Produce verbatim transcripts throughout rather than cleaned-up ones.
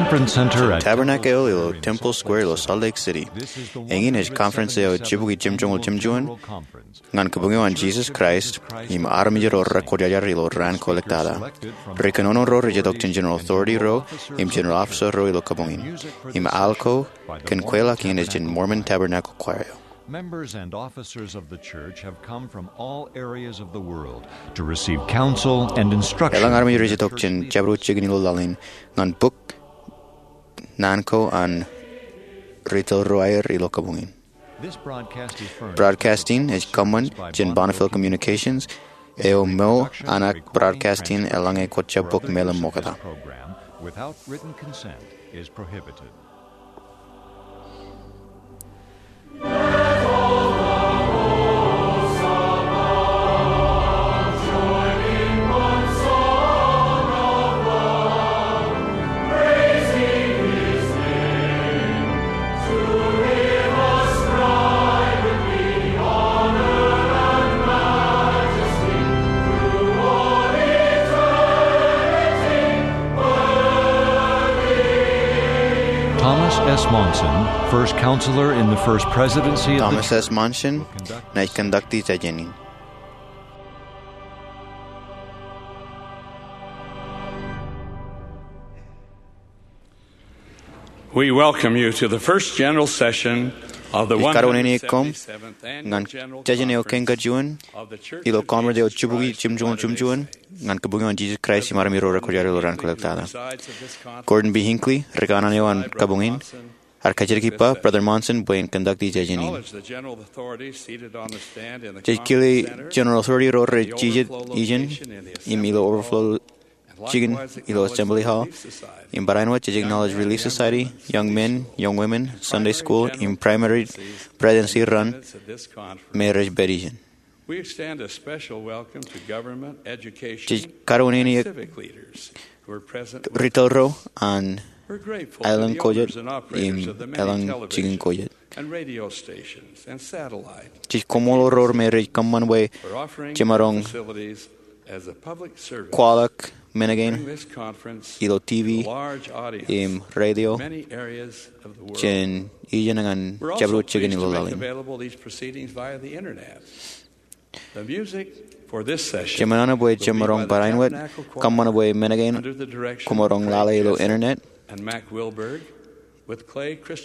Conference Center at Tabernacle eo ilo Temple Square ilo Salt Lake City. Eñin ej conference eo ej jibukwi jemjoñoul jemjuon ñan Kabuñ eo an Jesus Christ im armej ro rekwōjarjar ilo raan ko ḷoktata. Ri kōnono ro rej itok jān General Authority ro im General Officer ro ilo kabuñ in. Im al ko kōn kweilọk in ej jān Mormon Tabernacle Choir eo. Members and officers of the church have come from all areas of the world to receive counsel and instruction. Elōñ armej rej itok jān jabdewōt jikin ilo laḷ in ñan bok naan ko an retail ro aer ilo kabuñ in. This broadcast is furnished. Broadcast in ej kōṃṃan jān Bonneville Communications, eo mour an ak broadcast in eḷaññe kwōj jab bōk meḷeṃ ṃokta. Program without written consent is prohibited. Thomas S. Monson, first counselor in the First Presidency of the Thomas S. Monson, naaj kōndakti jājen in. We welcome you to the first general session of the Ij kōṃṃane koṃ ñan jājen eo kein kajuon ilo conference eo jibukwi jemjoñoul jemjuon ñan Kabuñ eo an Jesus Christ im armej ro rekwōjarjar ilo raan ko ḷoktata. Gordon B. Hinckley, ri kanaan eo an kabuñ in, ear kajjitōk ippa Brother Monson bwe en kōndakti jājen in. Jej kile General Authority ro rej jijet ijeṇ im ilo overflow jikin ilo Assembly Hall. Im barāinwōt jej acknowledge Relief Society, Young Men, Young Women, Sunday School, im Primary Presidency run me rej pād ijeṇ. We extend a special welcome to government, education, Jej kōṃṃane eok civic leaders who are present with us. Retail ro an We're grateful to the owners and operators of the many television and radio stations and satellite. Jej koṃṃool ro me rej kōṃṃan bwe jemaroñ kwaḷọk men kein ilo T V im radio jān ijeṇ ñan jabdewōt jikin ilo laḷ in. Jemān an bwe jemaroñ barāinwōt kōṃṃan bwe men kein koṃ maroñ lale ilo internet.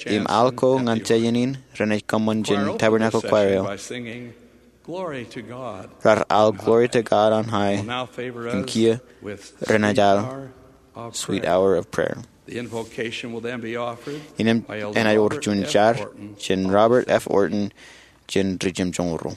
Im al ko ñan jājen in renaaj kōṃṃan jān Tabernacle Choir eo. Raar al Glory to God on High. Im kiiō renaaj al Sweet Hour of Prayer. Innām enaaj wōr juon jar jān Robert F. Orton jān ri jemjoñoul ro.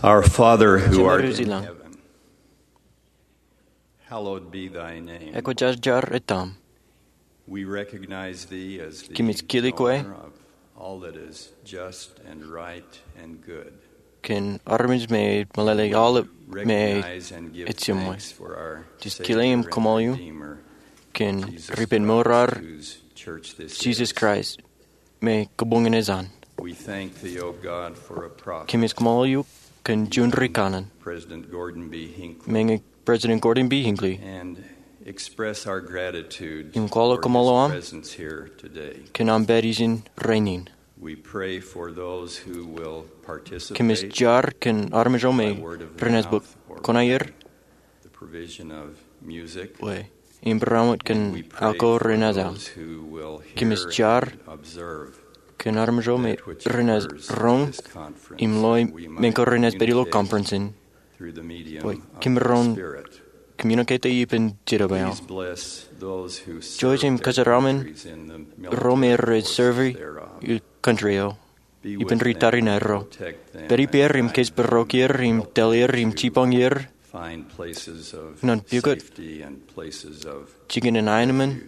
Our Father who art in heaven, hallowed be thy name. Ekwōjarjar etaṃ. We recognize thee as the Kōmij kile kwe owner of all that is just and right and good. Kōn armej me meḷeḷe aolep me ej jemwe. Recognize and give thanks for our Savior and Redeemer, Jesus Christ. Jej kile im kaṃool eok kōn ripenmour ar, whose church this is. Jesus Christ, me kabuñ in ej an. We thank thee, O God, for a prophet. Kōmij kaṃool eok kōn juon ri kanaan. President Gordon B. Hinckley. Meñe President Gordon B. Hinckley. And express our gratitude for his presence here today. Im kwaḷọk kaṃool aṃ kōn aṃ pād ijin rainin. We pray for those who will participate by word of mouth or by the provision of music. Kōmij jar kōn armej ro me renaaj bwe renaaj bōk kwe im loi men ko renaaj pād ilo conference in. Bwe kōmij ro communicate ippān Jetōb eo. Jouj im kōjeraaṃṃan ro me rej serve ilo country eo ippān ri tariṇae ro. Pād ippāer im kōjparok er im tōl er im jipañ er ñan pukot jikin an aenōṃṃan.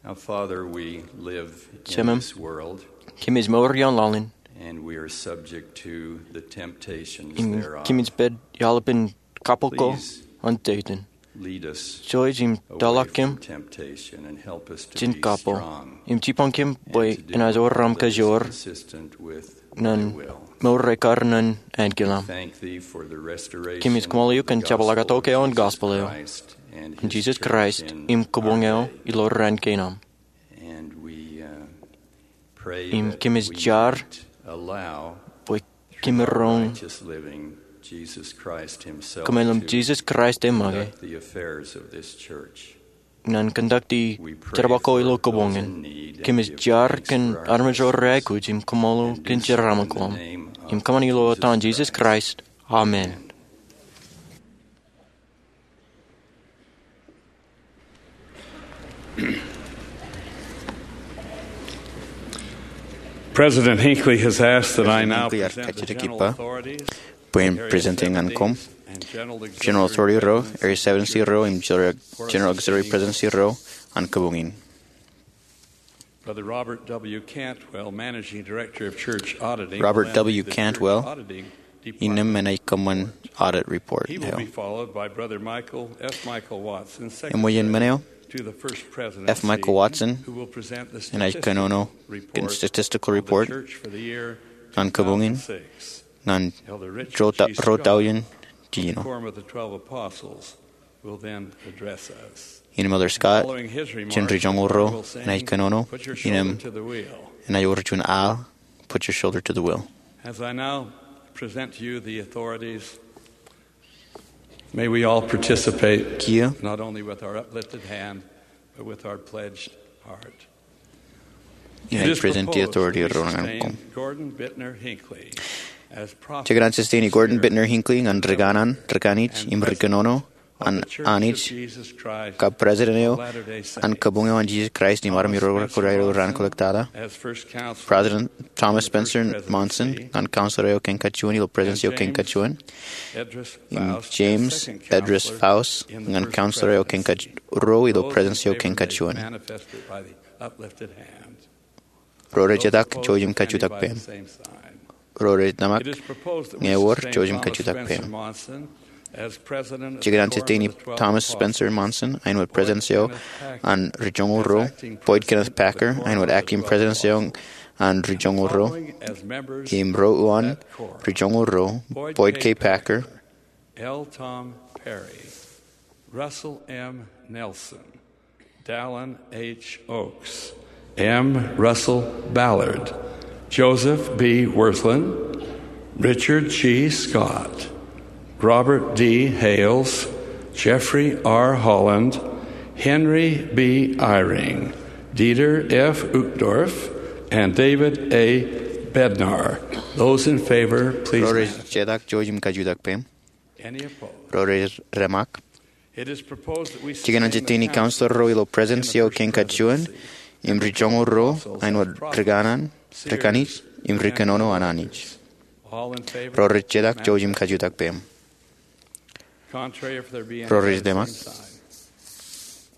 Now, Father, we live in this world, Jemem, kōmij mour ioon laḷ in. And we are subject to the temptations thereof. Im kōmij pād iaḷ ippān kabbokbok an Setan. Please lead us away from temptation and help us to be strong. Jouj im tōlọk kōm jān kabbokbok im jipañ kōm bwe enaaj wōr aṃ kajoor ñan mour ekar ñan ankilaṃ. Kōmij kaṃool eok kōn jepḷaaktok eo an gospel eo an Jesus Christ im kabuñ eo ilo raan kein aṃ. Im kōmij jar bwe kōmij roñ kōmeḷeḷe im Jesus Christ eṃōke ñan conduct e jerbal ko ilo kabuñ in. Kōmij jar kōn armej ro reaikuj im kaṃṃoolol kōn jeraaṃṃan ko aṃ. Im kōṃṃan ilo etan Jesus Christ, amen. President Hinckley has asked that I now present the general authorities, President Hinckley ej bar kajjitōk ippa bwe en present ñan koṃ General Authority ro, Area seventy ro, im General Auxiliary Presidency ro an kabuñ in. Brother Robert W. Cantwell, Managing Director of Church Auditing, Robert W. Cantwell, innām ej kōṃṃan audit report eo. He will be followed by Brother Michael F. Michael Watson, Secretary to the First Presidency, who will present the statistical report of the church for the year two thousand six. Im eo jen men eo, F. Michael Watson, enaaj kōnono kōn statistical report an kabuñ in ñan ruo taujin jiljino. Elder Richard G. Scott, from the Quorum of the Twelve Apostles, will then address us. Im Elder Scott, jān Ri Joñoul Ruo, enaaj kōnono, im enaaj wōr juon al, put your shoulder to the wheel. As I now present to you the authorities, may we all participate, kiiō, not only with our uplifted hand, but with our pledged heart. Inaaj present the authority ro ñan koṃ. Gordon Bittner Hinckley as prophet. Jekōṇaan sustain e Gordon Bittner Hinckley ñan ri kanaan, ri kanij, im ri kōnono an Anij, kab President eo an Kabuñ eo an Jesus Christ im Armej ro Rekoṇae ilo Raan Kwōjarjar. President Thomas Spencer Monson ñan Counselor eo kein kajuon ilo President's eo kein kajuon. Im James Edris Faust ñan Counselor eo kein kaj-, ruo ilo President's eo kein kajuon. Ro rej jetak, jouj im kajutak peiṃ. Ro rej tōmak, ñe ewōr, jouj im kajutak peiṃ. Jekōṇaan sustain e Thomas Spencer Monson, āinwōt President's eo an Ri Joñoul Ruo, Boyd Kenneth Packer, āinwōt Acting President's eo an Ri Joñoul Ruo, im ro uwaan Ri Joñoul Ruo, Boyd K. Packer, L. Tom Perry, Russell M. Nelson, Dallin H. Oaks, M. Russell Ballard, Joseph B. Wirthlin, Richard G. Scott, Robert D. Hales, Jeffrey R. Holland, Henry B. Eyring, Dieter F. Uchtdorf, and David A. Bednar. Those in favor, please. Ro rej jetak, jouj im kajutak peiṃ. Ro rej tōmak. Jekōṇaan sustain e Counselor ro ilo President's eo kein kajuon, im Ri Joñoul Ruo, āinwōt ri kanaan, ri kanij, im ri kōnono an Anij. Ro rej jetak jouj im kajutak peiṃ. Ro rej deṃak.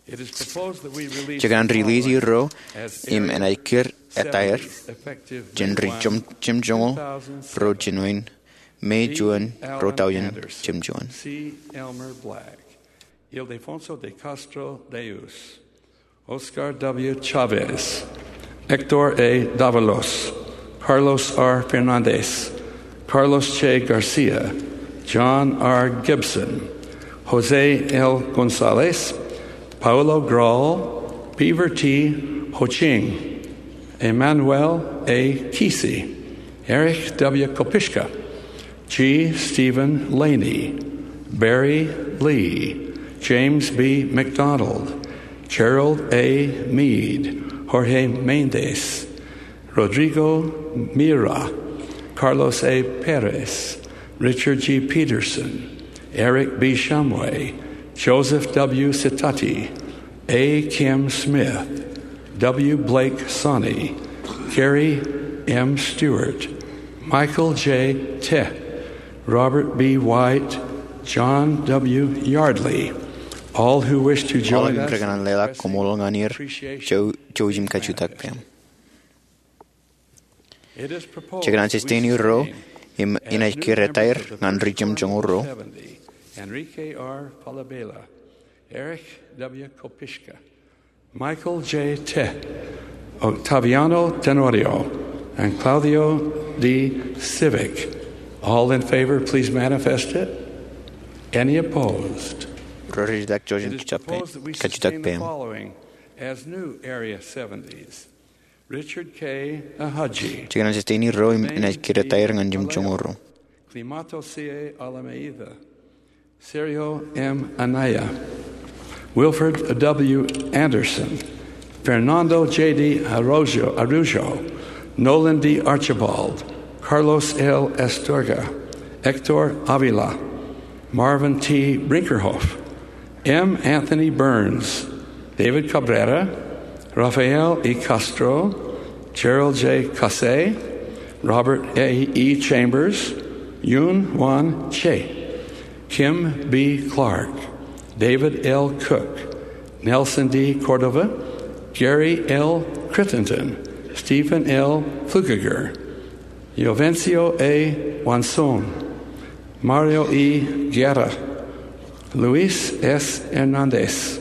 Jekōṇaan riliisi ro im enaaj kūr etaer jān ri jemjoñoul ro jān āinwōt May juon, ruo tọujin jemjuon. Ildefonso de Castro Deus, Oscar W. Chavez, Hector A. Davalos, Carlos R. Fernandez, Carlos J. Garcia, John R. Gibson, Jose L. Gonzalez, Paulo Grau, Beaver T. Ho Ching, Emmanuel A. Kisi, Erich W. Kopischka, G. Stephen Laney, Barry Lee, James B. McDonald, Gerald A. Mead, Jorge Méndez, Rodrigo Mira, Carlos A. Perez, Richard G. Peterson, Eric B. Shumway, Joseph W. Sitati, A. Kim Smith, W. Blake Sonne, Gary M. Stewart, Michael J. Teh, Robert B. White, John W. Yardley, all who wish to join us. Aolep ro rej kōṇaan leḷọk koṃṃool ñan er, jouj im kajutak peiṃ. Jekōṇaan susteni ro im enaaj kūr etaer ñan ri jemjoñoul ro. Enrique R. Falabella, Erich W. Kopischka, Michael J. Teh, Octaviano Tenorio, and Claudio D. Civic. All in favor, please manifest it. Any opposed? Ro rej jetak jouj im kajutak peiṃ. As new Area seventies. Richard K. Ahaji. Jekōṇaan susteni ro im enaaj kūr etaer ñan jemjoñoul ro. Climato C. A. Almeida. Sergio M. Anaya. Wilfred W. Anderson. Fernando J. D. Araujo. Araujo. Nolan D. Archibald. Carlos L. Astorga. Hector Avila. Marvin T. Brinkerhoff. M. Anthony Burns, David Cabrera, Rafael E. Castro, Gerald J. Caussé, Robert A. E. Chambers, Yoon Won Che, Kim B. Clark, David L. Cook, Nelson D. Cordova, Gary L. Crittenden, Stephen L. Flukiger, Jovencio A. Wanson, Mario E. Guerra, Luis S. Hernandez,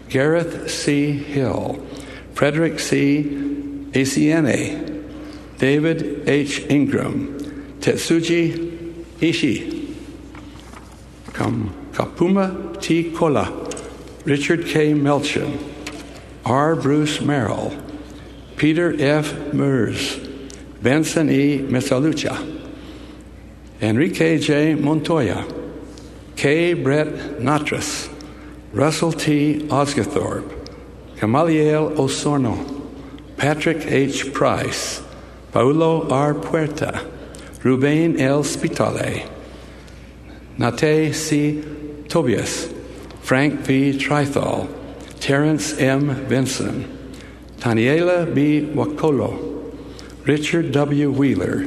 Gareth C. Hill, Frederick C. Asiene, David H. Ingram, Tetsuji Ishii, Kam-, Kapuma T. Kola, Richard K. Melchin, R. Bruce Merrill, Peter F. Meurs, Benson E. Misalucha, Enrique J. Montoya, K. Brett Nattress, Russell T. Osguthorpe, Gamaliel Osorno, Patrick H. Price, Paulo R. Puerta, Ruben L. Spitale, Nate C. Tobias, Frank V. Trithall, Terrence M. Vinson, Taniela B. Wakolo, Richard W. Wheeler,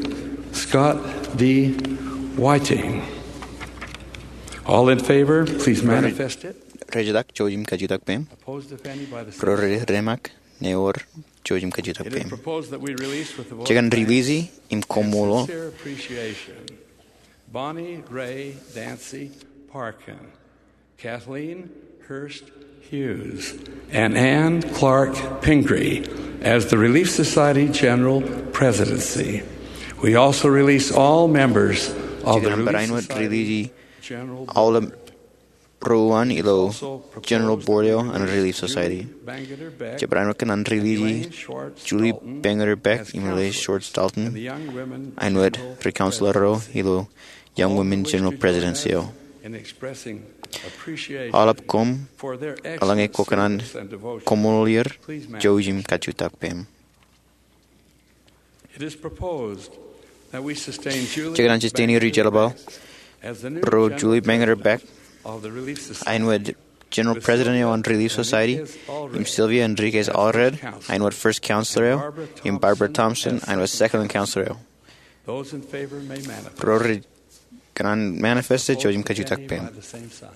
Scott D. Whiting. All in favor, please manifest it. Ro rej jetak jouj im kajutak peiṃ. Opposed, if any, by the same sign. Ro rej deṃak, ewōr jouj im kajutak peiṃ. It is proposed that we release with the vote of thanks and sincere appreciation Jekōṇaan riliisi im koṃṃool Bonnie Ray Dancy Parkin, Kathleen Hurst Hughes, and Anne Clark Pingree as the Relief Society General Presidency. We also release all members of the Relief Society General Board. Jekōṇaan barāinwōt riliisi aolep ro uwaan ilo General Board eo an Relief Society. Jej barāinwōt kōṇaan riliisi Julie Bangerter Beck im Elaine Schwartz Dalton āinwōt ri counselor ro ilo Young Women General Presidency eo. Aolep koṃ, eḷaññe kwōkōṇaan koṃṃool er, jouj im kajutak peiṃ. Jekōṇaan susteni ri jeḷāpaḷ ro Julie Bangerter Beck āinwōt General President eo an Relief Society, im Sylvia Enriquez Allred āinwōt First Counselor eo, im Barbara Thompson āinwōt Second Counselor eo. Those in favor may manifest. Ro rej kōṇaan manifest e, jouj im kajutak peiṃ. By the same sign.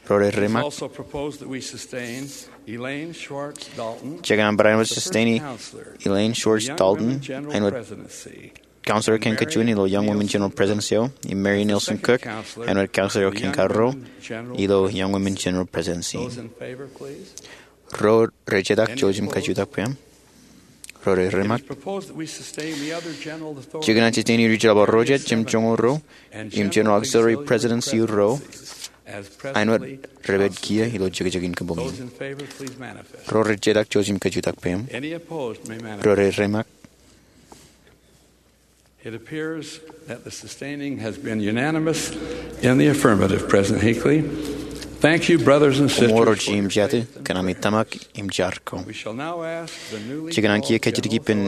Ro rej reiṃṃak. It is also proposed that we sustain Elaine Schwartz Dalton, Jej kōṇaan barāinwōt the first sustain e counselor Elaine Schwartz Dalton, āinwōt counselor kein kajuon ilo Young Women General Presidency eo, im Mary Nelson Cook, āinwōt counselor eo kein karuo ilo Young Women General Presidency. Those in favor, please. Ro rej jetak, jouj im kajutak peiṃ. Ro rej reiṃṃak. Jej kōṇaan sustain e Ri-jeḷā ro jet, jemjoñoul ruo, im General Auxiliary Presidency ruo, āinwōt rej pād kiiō ilo jekjekin kabuñ in. Ro rej jetak, jouj im kajutak peiṃ. Ro rej reiṃṃak. It appears that the sustaining has been unanimous in the affirmative, President Hinckley. Thank you, brothers and sisters, for your faith and prayer. Koṃṃool ro jeiū im jatū, kōn ami tōmak im jar ko. We shall now ask the newly called general authorities Jej kōṇaan kiiō kajjitōk ippān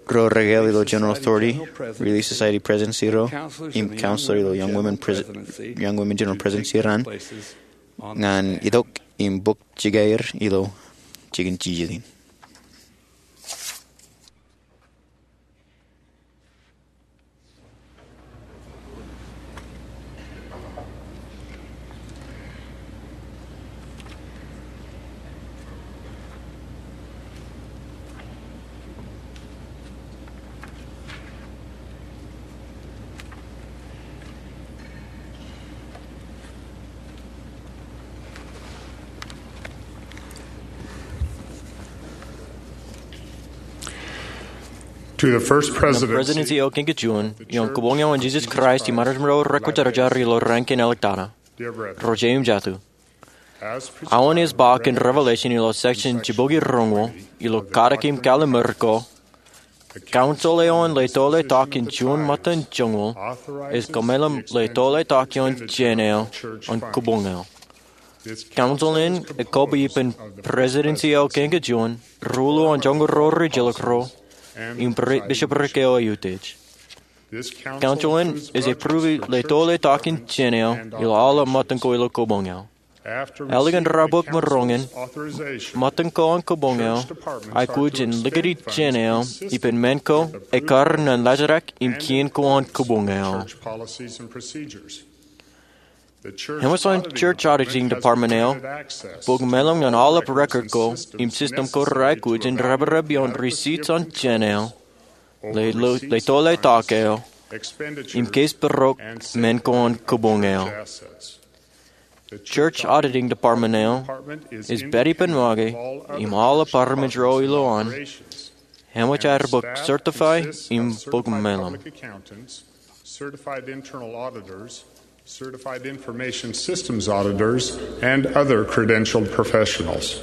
ro rekāāl ilo General Authority, Relief Society Presidency ro, im counselor ilo Young Women General Presidency ro, ñan itok im bōk jikier ilo jikin jijet in. To the First Presidency, Presidency eo kein kajuon, ioon Kabuñ eo an Jesus Christ im Armej ro Rekwōjarjar ilo Rankin, Alaska. Ro jeiū im jatū. Aō ej ba kōn Revelation ilo section jibukwi roñoul ilo Katak im Kallimur ko, council eo an letoletok in juon ṃōttan joñoul ej kōmeḷeḷe letoletok ioon jān eo an kabuñ eo. Council in ekōbwe ippān Presidency eo kein kajuon, ruo ḷọk an joñoul ro rijjilōk ro, im bishopric eo eutiej. Council in ej approve letoletok in jān eo ilo aolep ṃōttan ko ilo kabuñ eo. Ālikin raar bōk maroñ in, ṃōttan ko an kabuñ eo aikuj in likūti jān eo ippān men ko ekkar ñan laajrak im kien ko an kabuñ eo. Eṃōj an Church Auditing Department eo bōk meḷeḷe ñan aolep record ko im system ko reaikuj in reprep ioon receipts an jān eo, letoletok eo, im keis pūrok men ko an kabuñ eo. Church Auditing Department eo ej pād ippān make im aolep armej ro ilowaan, eṃōj aer bōk certify im bōk meḷeḷe. Certified internal auditors, certified information systems auditors, and other credentialed professionals.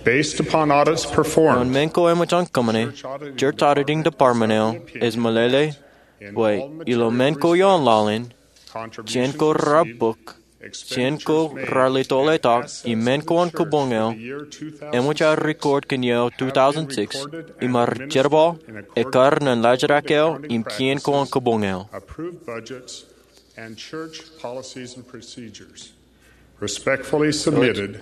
Based upon audits performed, ioon men ko eṃōj an kōṃṃane, Church Auditing Department eo ej meḷeḷe bwe ilo men ko ioon laḷ in, jān ko raar bōk, jān ko raar letoletok, im men ko an kabuñ eo, eṃōj aer record kōn iiō two thousand six, im aer jerbal ekkar ñan laajrak eo im kien ko an kabuñ eo. Approved budgets and church policies and procedures. Respectfully submitted,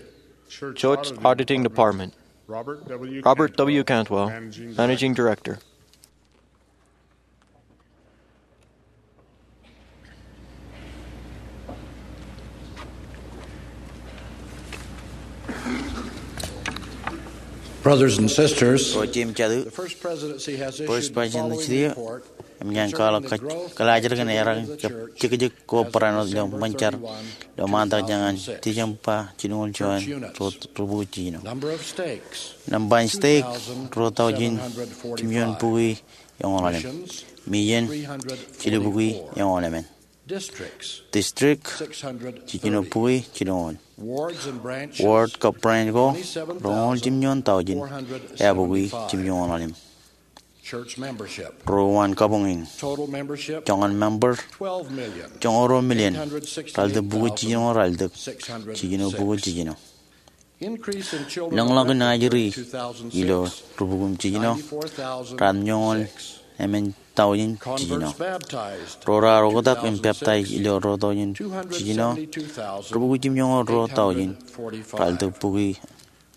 Church Auditing Department. Robert W. Cantwell, Managing Director. Brothers and sisters, ro jeiū im jatū, the First Presidency has issued the following report concerning the growth and stability of the church as of December thirty-one, two thousand six. Church units. Ro jeiū im jatū, bwe ej ba jān ilo ṃōñā in kōḷḷā ḷọk ilo ṃaantak jān an December jilu juon, ro, ro bukwi jiljino. Number of stakes, nōṃba in stake, two thousand seven hundred forty-five. Ruo taujin jimjuon bukwi eñoul ḷalem. Missions, three hundred forty-four. Mission, jilu bukwi eñoul emān. Districts, district, six hundred thirty. Jiljino bukwi jilñoul. Wards and branches, ward kab branch ko, twenty-seven thousand four hundred seventy-five. Roñoul jimjuon taujin, eabukwi jimjuon ḷalem. Church membership. Ruo wōt kabuñ in. Total membership, joñan member, twelve million, joñoul ruo million, eight hundred sixty-eight thousand, ralitōk bukwi jiljino ralitōk, six hundred six. Jiljino bukwi jiljino. Increase in children born after two thousand six, ḷōñḷọk in ajri ilo rubukwi im jiljino, ninety-four thousand six. Ratimjuon eṃṃan taujin jiljino. Converts baptized, ro raar oktak im peptaij ilo ruo taujin jiljino, two hundred seventy-two thousand eight hundred forty-five. Rubukwi jimjuon ruo taujin, ralitōk bukwi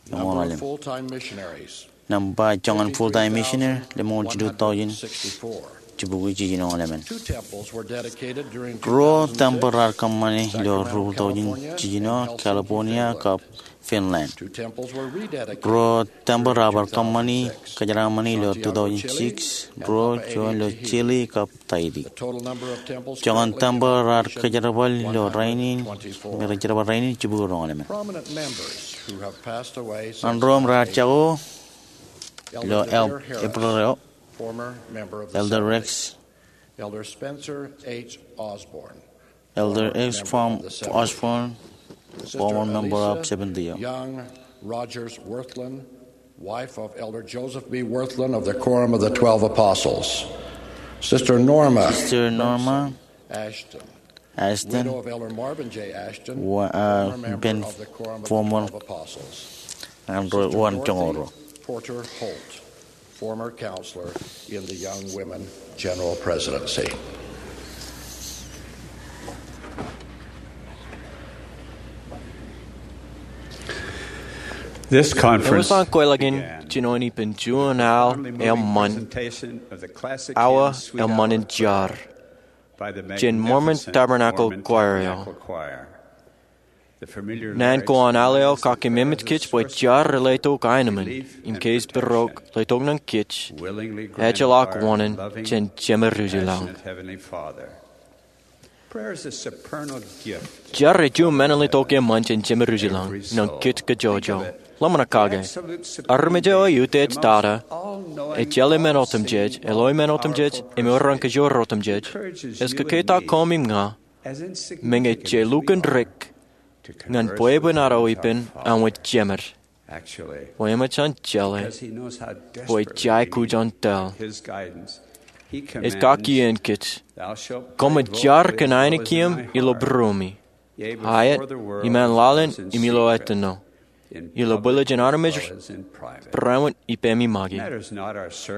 eñoul ḷalem. Number of full-time missionaries, Nōṃba joñan full-time missionary, lemñoul jilu taujin jibukwi jiljino lemon. Ruo tempel raar kōṃṃani ilo rubul taujin jiljino, California kab Finland. Ruo tempel raar bar kōṃṃani kōjeraaṃṃani ilo two thousand six, ruo juon ilo Chile kab Tahiti. Joñan tempel raar kōjerbal ilo rainin, me rej jerbal rainin, jibukwi roñoul emān. Ro im raar jako ilo April eo, Elder Rex, Elder Spencer H. Osborne, Elder Rex Osborne, former member of Seventh Day. Young Rogers Wirthlin, wife of Elder Joseph B. Wirthlin of the Quorum of the Twelve Apostles. Sister Norma, Sister Norma Ashton, Ashton, widow of Elder Marvin J. Ashton, wa-, uh, former member of the Quorum of the Twelve Apostles. An ro, Sister Dorothy Joñoul ruo. Porter Holt, former counselor in the Young Women General Presidency. This conference Ewi eo ej kweilọk in jinoin ippān juon al eṃṃan, awa eṃṃan in jar, jān Mormon Tabernacle Choir eo. Naan ko an al eo kaki memej kōj bwe jar ej letok aenōṃṃan im keij pūrok letok ñan kōj ejjeḷọk wōṇān jān Jemedwōj ilañ. Jar ej juon men in letok eṃṃan jān Jemedwōj ilañ ñan kōj kajjojo. Ḷōmṇak kake. Armej eo ej utiej tata, ej jeḷā men otemjej, ej loe men otemjej, im ewōr an kōjro otemjej, ej kōkketak koṃ im ña, meñe je lukkuun dik, ñan bwebwenato ippān an wōt jemed, bwe eṃōj an jeḷā bwe jej aikuj an tōl. Ej kaki iien kōj, koṃij jar kōn ainikieṃ ilo būruemi, aet, iṃaan laḷ in im ilo ettino, ilo bwilōñ in armej, būruemi, ippemi make.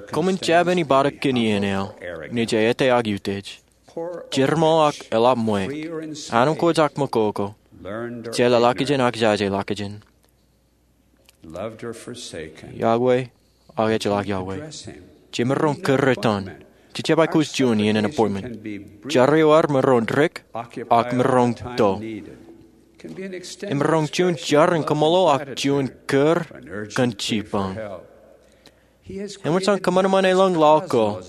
Koṃwin jab āni bōktok kōn iien eo, ṇe jej etaak utiej. Jeṃḷọk ak eḷap ṃweiuk. Anemkwōj ak ṃakoko. Jeḷā ḷọkjeṇ ak jaje ḷọkjeṇ. Iọkwe, ak ejjeḷọk iọkwe. Jemaroñ kūr etan. Jej jab aikuj juon iien in appointment. Jar eo ear maroñ dik, ak maroñ to. Emaroñ juon jar in kaṃṃoolol ak juon kūr kōn jibboñ. Eṃōj an kōṃanṃan elōñ laḷ ko,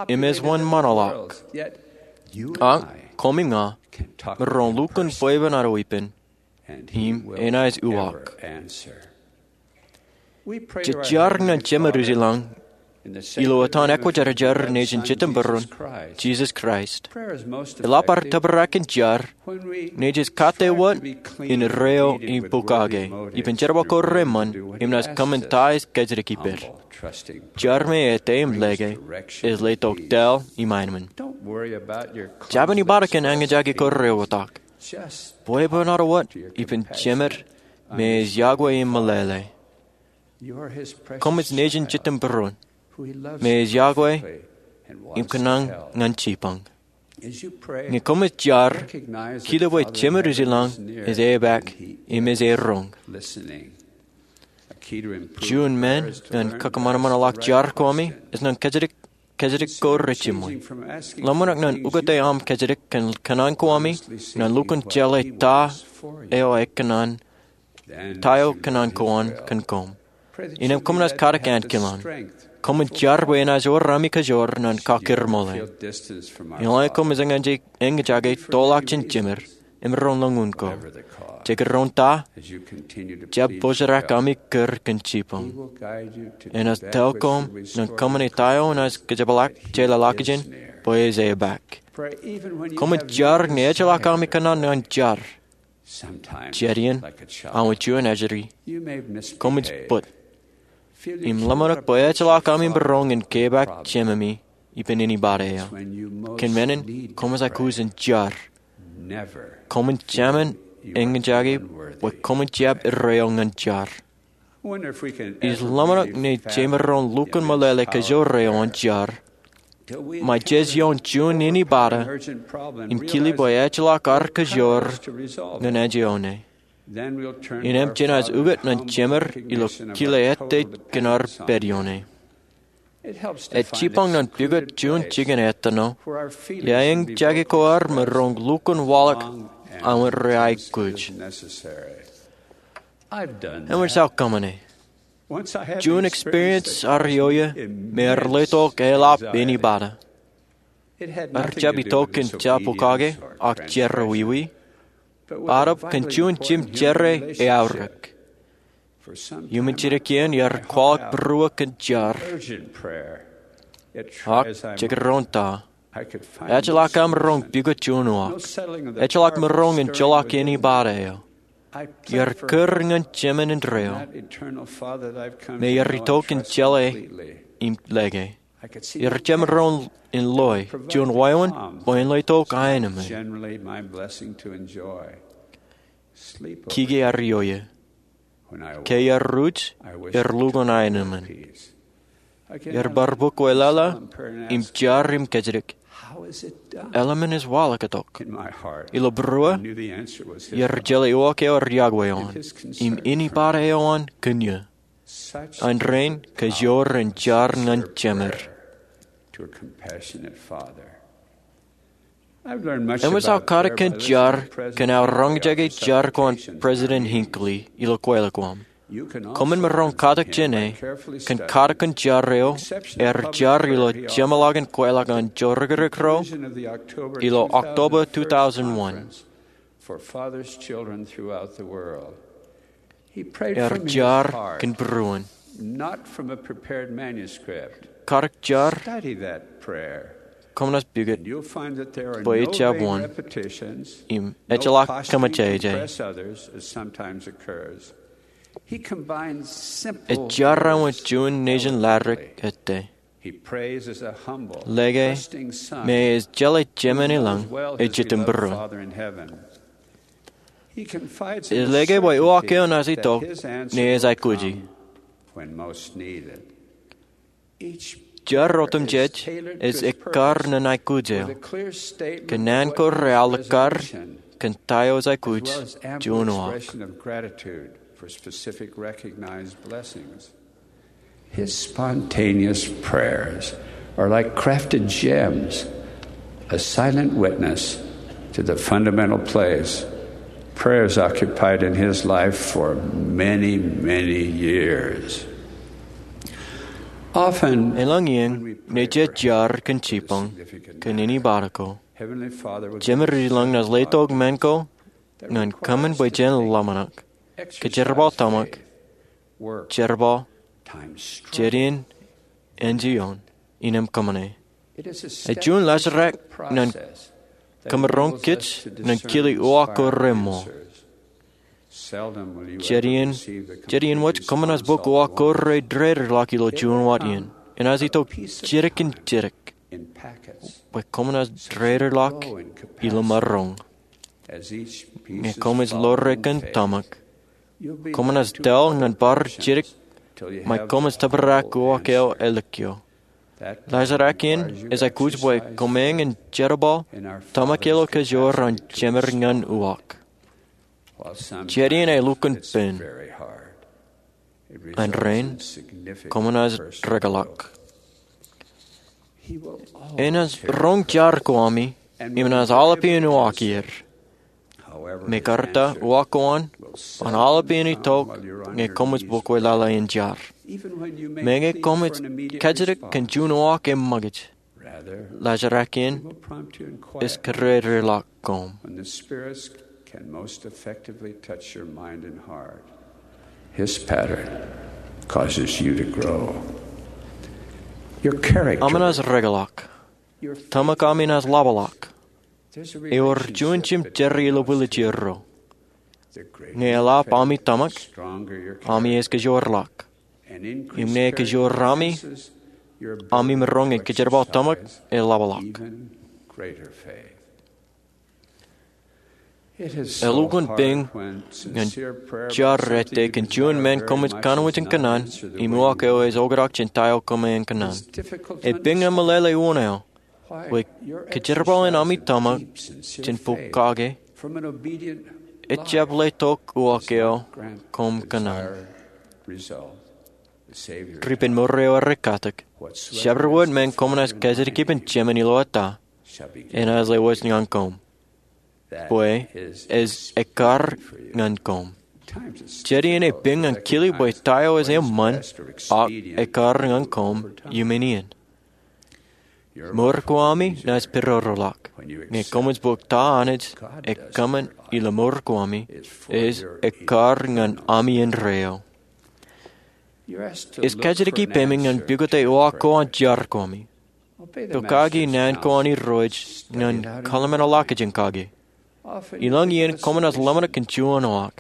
im ej wōnṃaanḷọk. Ak, koṃ im ña, maroñ lukkuun bwebwenato ippān, im enaaj uwaak. Jej jar ñan Jemedwōj ilañ, ilo etan ekwōjarjar nejin Jetōb Būruon, Jisōs Kraist. Eḷap ad tōprak in jar, ṇe jej kate wōt in reo im pokake, ippān jerbal ko reṃṃan, im naaj kōṃṃan ta ej kōjatdikdik ippād. Jar me ete im lōke, ej letok tōl im aenōṃṃan. Jab āni bōktok kōn eñjake ko reotak. Bwebwenato wōt ippān Jemed me ej iọkwe im meḷeḷe. Koṃij nejin Jetōb Būruon, me ej iọkwe im kōṇaan ñan jibboñ. Ñe koṃij jar, kile bwe Jemedwōj ilañ ej epaak im ej eroñ. Juon men ñan kakōṃanṃanḷọk jar ko ami ej ñan kōjatdikdik kōjatdikdik ko rejiṃwe. Ḷōmṇak ñan ukōte aṃ kōjatdikdik kōn kōṇaan ko ami ñan lukkuun jeḷā ta eo ekōṇaan, ta eo kōṇaan ko an kōn koṃ. Innām koṃ naaj katak ankilaan. Koṃwin jar bwe enaaj wōr ami kōjro ñan kakūrṃoole. Eḷaññe koṃij eñjake tōlḷọk jān jemed, emaroñ lōñ un ko. Jekdọọn ta, jab pojrak ami kūr kōn jibboñ. Enaaj tōl koṃ ñan kōṃṃane ta eo enaaj kōjepḷaak jeḷā ḷọkjeṇ bwe ej epaak. Koṃij jar ñe ejjeḷọk ami kōṇaan ñan jar. Jet iien, aṃ juon ajri, koṃij put im ḷōmṇak bwe ejjeḷọk ami maroñ in kepaak Jememi ippān anybody eo. Kōn men in, koṃij aikuj in jar. Koṃwin jāmin eñjake bwe koṃwin jab erreo ñan jar. Ij ḷōmṇak ṇe jemaroñ lukkuun meḷeḷe kōjro eo an jar ṃae jej ioon juon anybody im kile bwe ejjeḷọk ad kōjro ñan ajri eo ṇe. Innām jenaaj ukōt ñan Jemed ilo kile ettā kōn ad pād ioone. Ej jipañ ñan pukot juon jikin ettā ṇo iaan jake ko ad maroñ lukkuun waḷọk aṃ ri-aikuj. Eṃōj aō kōṃṃane. Juon experience ear ioe me ear letok eḷap anybody. Ear jab itok kōn jab pokake ak jerọwiwi, aolep kōn juon jimjere eaorōk. Iuṃwin jidik iien iar kwaḷọk būruō kōn jar. Ak jekdọọn ta, ejjeḷọk aṃ roñ pukot juon uwaak. Ejjeḷọk maroñ in joḷọk anybody eo. Iar kūr ñan Jemān indeeo me iar itok in jeḷā im lōke. Iar jab maroñ in loe juon wāween bwe en letok aenōṃṃan. Kiki ear ioe. Ke iar ruj, er lukkuun aenōṃṃan. Er bar bōk weḷeḷe im jar im kajjitōk, eḷaññe ej waḷọk tok. Ilo būruō, er jeḷā uwaak eo er yokwe ioon, im anybody eo an kōn eō. An rein kōjro en jar ñan Jemed. Eṃōj aō katak kōn jar kōn aō roñjake jar ko an President Hinckley ilo kweilọk ko aṃ. Koṃwin maroñ katak jāne kōn katak kōn jar eo, ear jar ilo jeṃḷọkin kweilọk an Jorikrikro ilo October two thousand one. Ear jar kōn būruon. Katak jar, koṃ naaj pukot bwe ejjab wōn, im ejjeḷọk kōmejāje. Ej jar wōt juon nejin latdek ettā. Lōke me ej jeḷā Jemān ilañ ej itok im būruon. Ej lōke bwe uwaak eo naaj itok ñe ej aikuji. Jar otemjej ej ekkar ñan aikuj eo kōn naan ko realikkar kōn ta eo ej aikuj juon uwaak. His spontaneous prayers are like crafted gems, a silent witness to the fundamental place prayers occupied in his life for many, many years. Often, Elōñ iien ñe jej jar kōn jipañ kōn anybody ko, Jemān ilañ naaj letok men ko ñan kōṃṃan bwe jen ḷōmṇak, kōjerbal tōmak, jerbal, jet iien, enjeḷ ioon, innem kōṃṃane. Ej juon laajrak ñan kōmro kōj ñan kile uwaak ko remool. Jet iien, jet iien wōj koṃ naaj bōk uwaak ko reddedeḷọk ilo juon wōt iien. Enaaj itok jidik in jidik bwe koṃ naaj reddedeḷọk ilo maroñ. Ñe koṃij ḷoore kōn tōmak, koṃ naaj tōl ñan bar jidik ṃae koṃij tōprak uwaak eo āliktata. Laajrak in ej aikuj bwe koṃeañ in jerbal tōmak ilo kōjro an Jemān ñan uwaak. Jet iien elukkuun pen. An rein, koṃ naaj rekḷọk. Enaaj roñ jar ko ami im enaaj aolepān uwaak er. Mekarta uwaak ko an, an aolepān itok ñe koṃij bōk weḷeḷe in jar. Meñe koṃij kajjitōk kōn juon uwaak eṃṃakūt, laajrak in ej kōreddedeḷọk koṃ. His pattern causes you to grow. Your character. Ami naaj rekḷọk. Tōmak ami naaj ḷapḷọk. Ewōr juon jimjere ilo bwiljier ro. Ñe eḷap ami tōmak, ami ej kōjorḷọk. Im ñe ekōjor ami, ami maroñ in kōjerbal tōmak eḷapḷọk. Elukkuun bōñ ñan jar ettā kōn juon men koṃij kanooj in kōṇaan im uwaak eo ej oktak jān ta eo koṃ kōṇaan. Ej bōñ ñan meḷeḷe uwōn eo bwe kōjerbal in ami tōmak jān pokake ejjab letok uwaak eo koṃ kōṇaan. Ripenmour eo rej katak, Jabdewōt men koṃ naaj kajjitōk ippān Jemān ilo ettā, enaaj lewōj ñan koṃ, bwe ej ekkar ñan koṃ. Jet iien epiñ ñan kili bwe ta eo ej eṃṃan ak ekkar ñan koṃ iuṃwin iien. Mour ko ami naaj pedodoḷọk ñe koṃij bōk ta Anij ekkar ilo mour ko ami ej ekkar ñan ami indeeo. Ej kajjitōk ippemi ñan pukot uwaak ko an jar ko ami. Pokake naan ko an Irooj ñan kōḷmānḷọkjeṇ kake. Ilọk iien koṃ naaj ḷōmṇak kōn juon uwaak.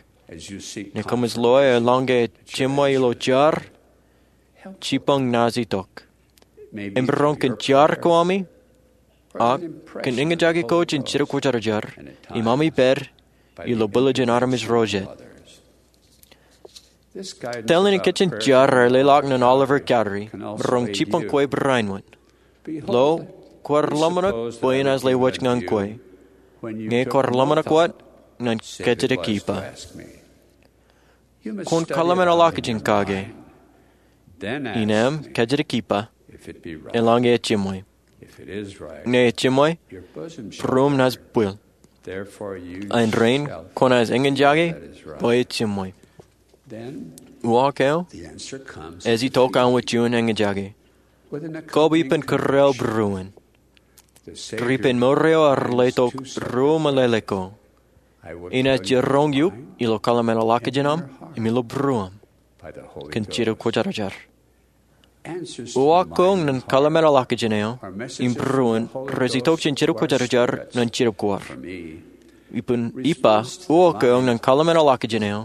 Ñe koṃij loe eḷaññe ej jiṃwe ilo jar, jibboñ naaj itok. Im roñ kōn jar ko ami ak kōn eñjake ko jān Jetōb Kwōjarjar im ami pād ilo bwilōjin armej ro jet. Tōl in kajjitōk jar eo leḷọk ñan Oliver Cowdery roñ jibboñ kwe barāinwōt. Lo, kwaar ḷōmṇak bwe enaaj lewōj ñan kwe, ñe kwaar ḷōmṇak wōt ñan kajjitōk ippa. Kwōn kōḷmānḷọkjeṇ kake im kajjitōk ippa eḷaññe ej jiṃwe. Ñe ej jiṃwe, būruōṃ naaj bwil. Āindein kwōnaaj eñjake bwe ej jiṃwe. Uwaak eo ej itok an wōt juon eñjake, kab ippān kōrā eo būruon. Ripenmour eo ear letok ruo meḷeḷe ko. Enaaj jiroñ eok ilo kōḷmānḷọkjeṇ aṃ im ilo būruōṃ kōn Jetōb Kwōjarjar. Uwaak ko ñan kōḷmānḷọkjeṇ eo im būruon rej itok jān Jetōb Kwōjarjar ñan Jetōb Kwaar. Ippān ippa, uwaak ko ñan kōḷmānḷọkjeṇ eo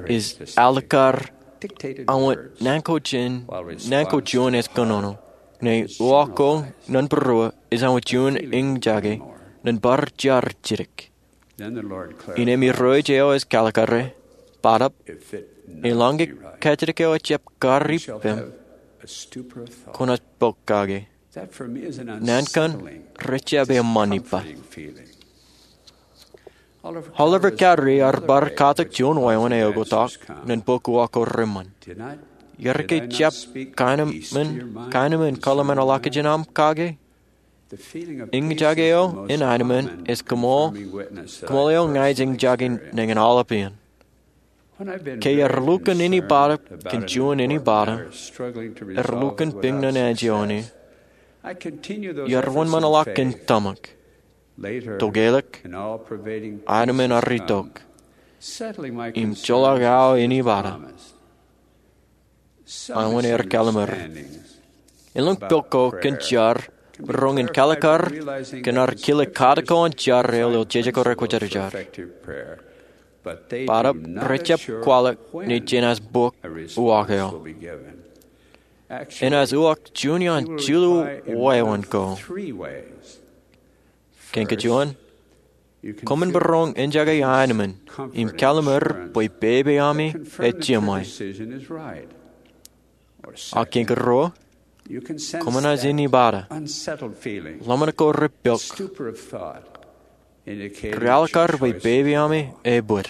ej alikkar an wōt naan ko juon ej kōnono, ñe uwaak ko ñan būruō ej an wōt juon eñjake ñan bar jar jidik. Innām Irooj eo ej kalikkare, bōtab, eḷaññe kajjitōk eo ejjab kar ippem, kwōnaaj bōk kake. Naan kaṇ rejjab eṃṃan ippa. Oliver Cowdery ear bar katak juon wāween eoktak ñan bok uwaak ko reṃṃan. Iar ke jab kaenōṃṃan, kaenōṃṃan kōḷmānḷọkjeṇ aṃ kake? Eñjake eo en aenōṃṃan ej kōṃṃool, kōṃṃool eo ña ij eñjake nañin aolep iien. Ke iar lukkuun inebōd kōn juon inebōd, iar lukkuun piñṇāṇ eo ej iioone, iar wōnṃaanḷọk kōn tōmak, tokālik, aenōṃṃan ar itok, im joḷọk aō inebōd. Aenōṃṃan er kallimur. Elōñ pok ko kōn jar, roñ in kalikkar kōn ad kile katak ko an jar eo ilo Jetōb Kwōjarjar. Bōtab rejjab kwaḷọk ñe jenaaj bok uwaak eo. Enaaj uwaak juon iaan jilu wāween ko. Kein kajuon, koṃwin būruōṃ eñjake aenōṃṃan im kallimur bwe pepe ami ej jiṃwe. Ak kein karuo, koṃ naaj inebōd, ḷōmṇak ko rej pok, rej alikkar bwe pepe ami ej bōd.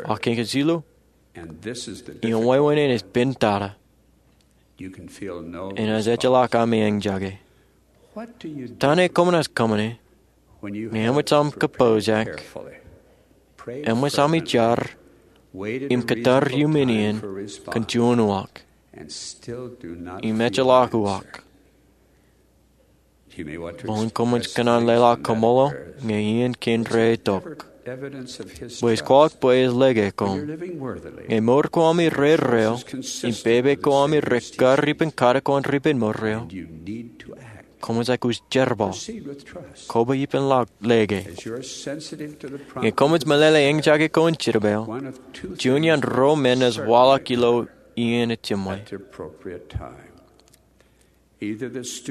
Ak kein kajilu, im wāween in ej pentata, enaaj ejjeḷọk ami eñjake. Ta ṇe koṃ naaj kōṃṃane ñe eṃōj aṃ kōpooj ak eṃōj ami jar im kōttar iuṃwin iien kōn juon uwaak im ejjeḷọk uwaak? Bwe koṃij kōṇaan leḷọk koṃṃool ñe iien kein reitok, bwe ij kwaḷọk bwe ej lōke koṃ. Ñe mour ko ami reerreo im pepe ko ami rej kar ippān katak ko an ripenmour eo, koṃij aikuj jerbal, koba ippān lōke. Ñe koṃij meḷeḷe eñjake ko an Jetōb eo, juon iaan ruo men enaaj waḷọk ilo iien ej jiṃwe.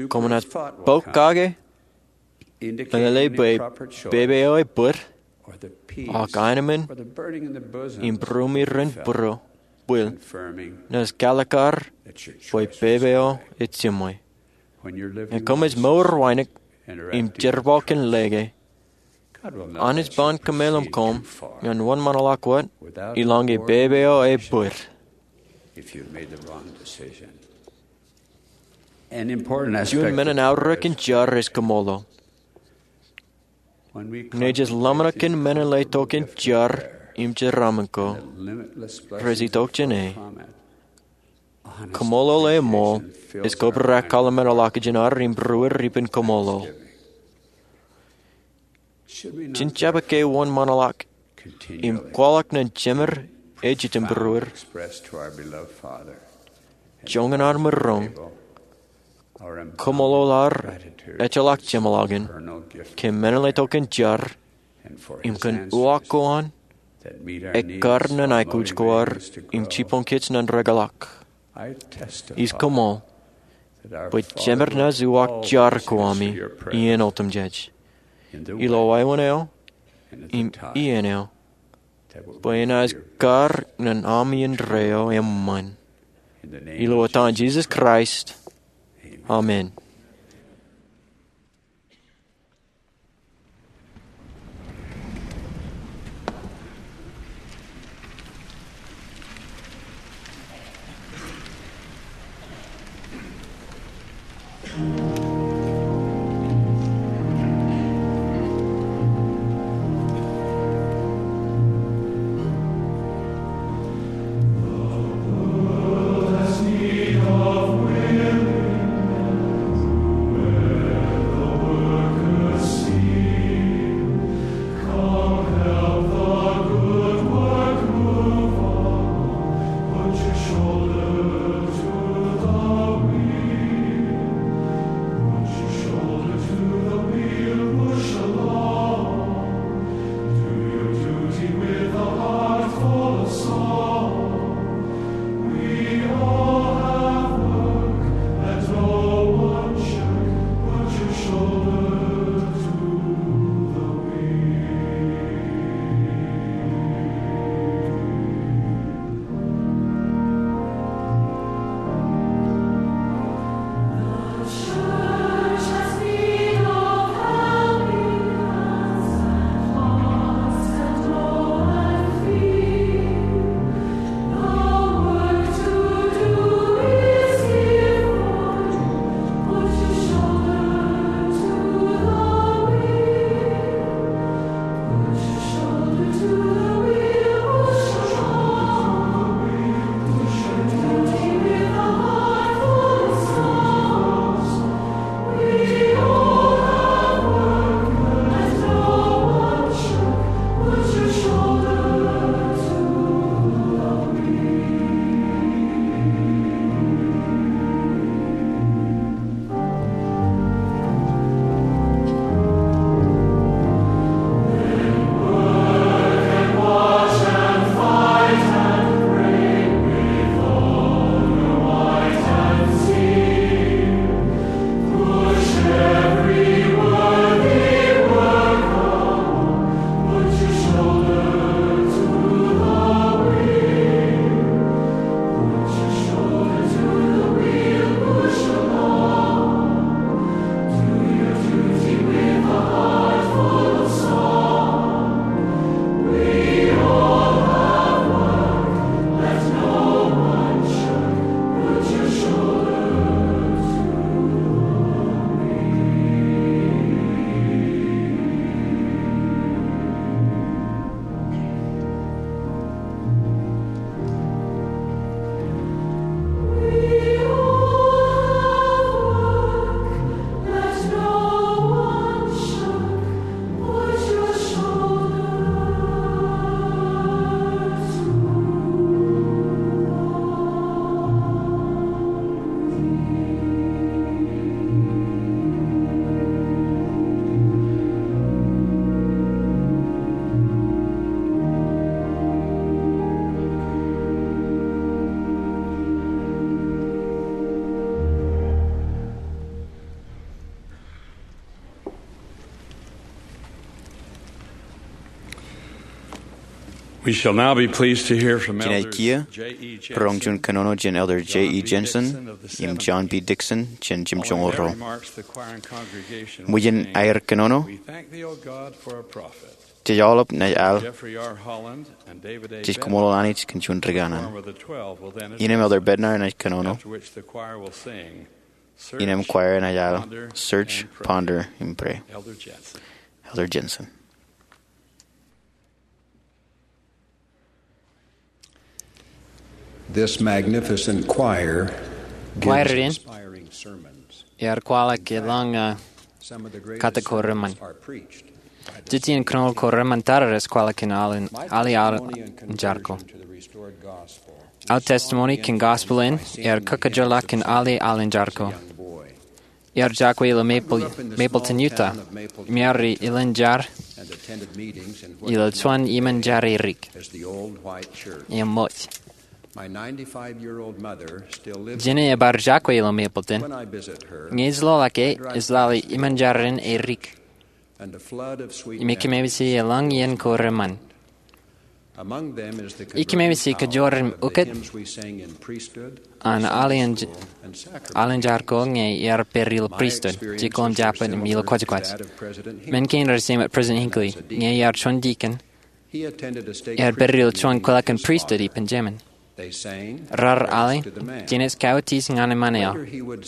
Koṃ naaj bok kake, meḷeḷe bwe pepe eo ej bōd, ak aenōṃṃan im būruōmi ren būruō, bwil, naaj kalikkar bwe pepe eo ej jiṃwe. Ñe koṃij mour wānōk im jerbal kōn lōke, Anij ban kōmeḷeḷe koṃ ñan wōnṃaanḷọk wōt ilañe pepe eo ebōd. Juon men in aorōk in jar ej kōṃṃoolol. Ñe jej ḷōmṇak kōn men in letok kōn jar im jeraaṃṃan ko, rej itok jān e. Kōṃṃoolol eṃṃool ej kobrak kōḷmānḷọkjeṇ ad im būruod ippān kōṃṃoolol. Jen jab ke wōnṃaanḷọk im kwaḷọk ñan Jemed ej Jitōnbōrōd, joñan ad maroñ, kōṃṃoolol ad ejjeḷọk jeṃḷọkin ke men in letok kōn jar im kōn uwaak ko an ekkar ñan aikuj ko ad im jibboñ kōj ñan rekḷọk. Ij kōṃṃool bwe Jemed ṇe ej uwaak jar ko ami iien otemjej, ilo wāween eo im iien eo, bwe enaaj kar ñan ami indeeo eṃṃan. Ilo etan Jisōs Kraist, amen. We shall now be pleased to hear from Elders Jen ej kiiō J E Jensen roñ juon kōnono jān Elder J E Jensen im John B. Dixon jān jimjuonñoul ro. Ṃōjin aer kōnono, jej aolep naaj al, jej koṃṃool Anij kōn juon ri kanaan. Innem Elder Bednar enaaj kōnono, innem choir enaaj al Search, Ponder, and Pray. Elder Jensen. This magnificent choir gives inspiring sermons. Choir in ear kwaḷọk elōñ, uh, kate ko reṃṃan. Jejjet in kōnono ko reṃṃan tata rej kwaḷọk kōn al in, al in jar ko. Aō testimony kōn gospel in ear kōkajjeḷọk kōn al in jar ko. Ear jokwe ilo Maple, Mapleton, Utah. Im ear ilin jar ilo juon iṃōn jar erik. Im ṃōj. Jine ebar jokwe ilo Mapleton. Ñe ij loḷọk e, ej lale iṃōn jar in erik. Im ekememej elōñ iien ko reṃṃan. Ekememej kajoor im ukōt an al in, al in jar ko ñe ear pād ilo pristut, jikuuḷ im jabōt im ilo kwōjkwōj. Men kein rej jemāt President Hinckley, ñe ear juon dikon, ear pād ilo juon kwōlọk in pristut ippān jemān. Raar ale, Jinōs Kaotis ñan eṃṃan eo,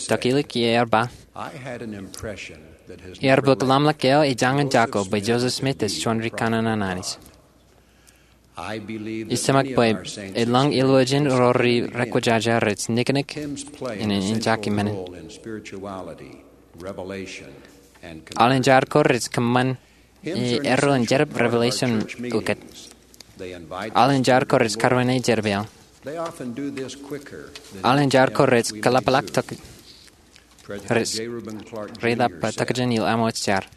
tok ilik ie ear ba, ear bōk ḷōmṇak eo ejañin jako bwe Joseph Smith ej juon ri kanaan an Anij. Ij tōmak bwe elōñ ilowōjin ro ri rekwōjarjar rej niknik in, in jake men in. Al in jar ko rej kōṃṃan e, erro in jedep revelation ukōt. Al in jar ko rej karuwainene jedep eo. Al in jar ko rej kōḷapḷọk tok, rej reḷap tokjān ilo aṃōj jar.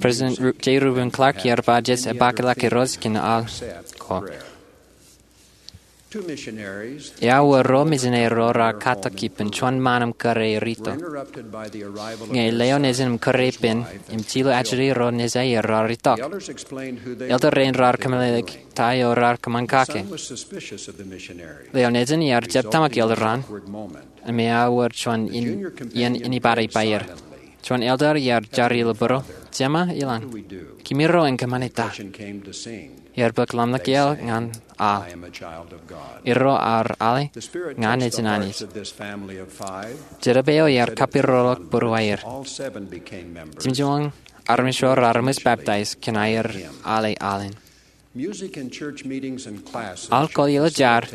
President Ru-, J. Reuben Clark ear ba jej epaakḷọk Irooj kōn al ko. Eaar wōr ro mejān ro raar katak ippān juon ṃaan im kōrā er itok. Ñe leo nejin im kōrā ippān im jilu ajri ro nejā er raar itok. Elder rein raar kōmeḷeḷeik ta eo raar kōṃṃan kake. Leo nejin ear jab tōmak elder an, im eaar wōr juon in, iien anybody bar er. Juon elder ear jar ilo būruō, Jema, eḷaññe, kōmro en kōṃṃane ta? Ear bōk ḷōmṇak eo ñan al. Erro ear ale, ña nejin Anij. Jedep eo ear kapiroḷọk būruō aer. Jimjuon armej ro raar eṃōj baptize kōn aer ale al in. Al ko ilo jar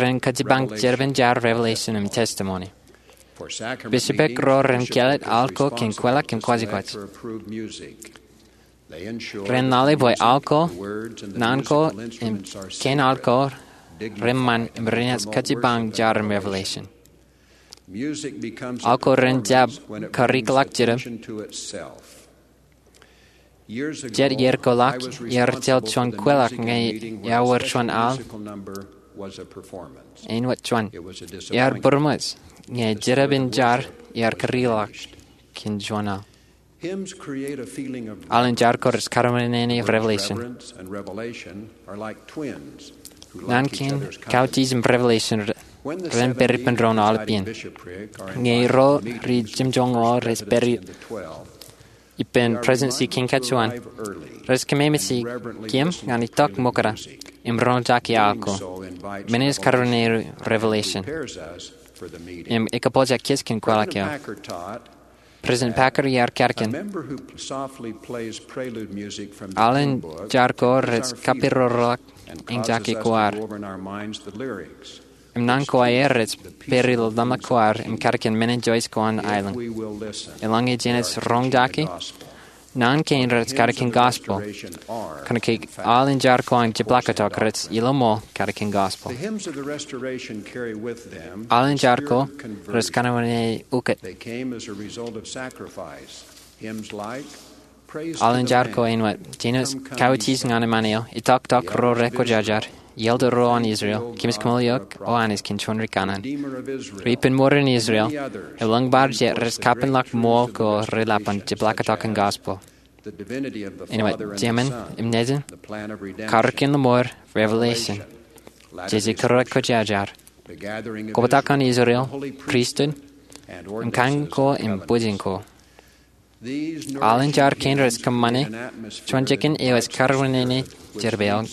ren kajipañ jerbal in jar revelation im testimony. Bishopric ro ren kāālōt al ko kōn kwōlọk im kwōjkwōj. Ren lale bwe al ko, naan ko, im kein al ko reṃṃan im renaaj kajipañ jar in revelation. Al ko ren jab karikḷọk jidik. Jet iiō ko ḷọk, ear tōl juon kwōlọk ñe eaar wōr juon al, āinwōt juon. Ear būroṃōj ñe jedep in jar ear karikḷọk kōn juon al. Al in jar ko rej karuwainene revelation. Naan kein kautiej im revelation re-, ren pād ippān doon aolep iien. Ñe ro ri jimjuon ro rej pād ippān Presidency kein kajuon, rej kōmemeje kōm ñan itok ṃokta im roñjake al ko. Men ej karuwainene revelation im ekōpooja kōj kōn kwōlọk eo. President Packer ear katkin, al in jar ko rej kapirorḷọk eñjake koar. Im naan ko aer rej pād ilo ḷōmṇak koar im katkin men in Joyce ko an aelōñ. Eḷaññe jenaaj roñjake, naan kein rej katkin gospel. Kōnke al in jar ko an jepḷaaktok rej ilo ṃool katkin gospel. Al in jar ko rej karuwainene ukōt. Al in jar ko āinwōt, Jinōs Kaotis ñan eṃṃan eo, Itok tok ro rekwōjarjar, Ielder ro an Israel, Kōmij kōṃṃool eok, O Anij kōn juon ri kanaan. Ri ippān ṃoorin Israel, elōñ bar jet rej kapenḷọk ṃool ko reḷap an jepḷaaktok in gospel. Āinwōt Jemān im Nejin, Karōk in Ṃool, Revelation, Jeje Kwōjarjar, Kobatok an Israel, Pristut, im Kain ko im Bwijin ko. Aolepen jar kein rej kōṃṃane juon jikin eo ej karwinene jerbal,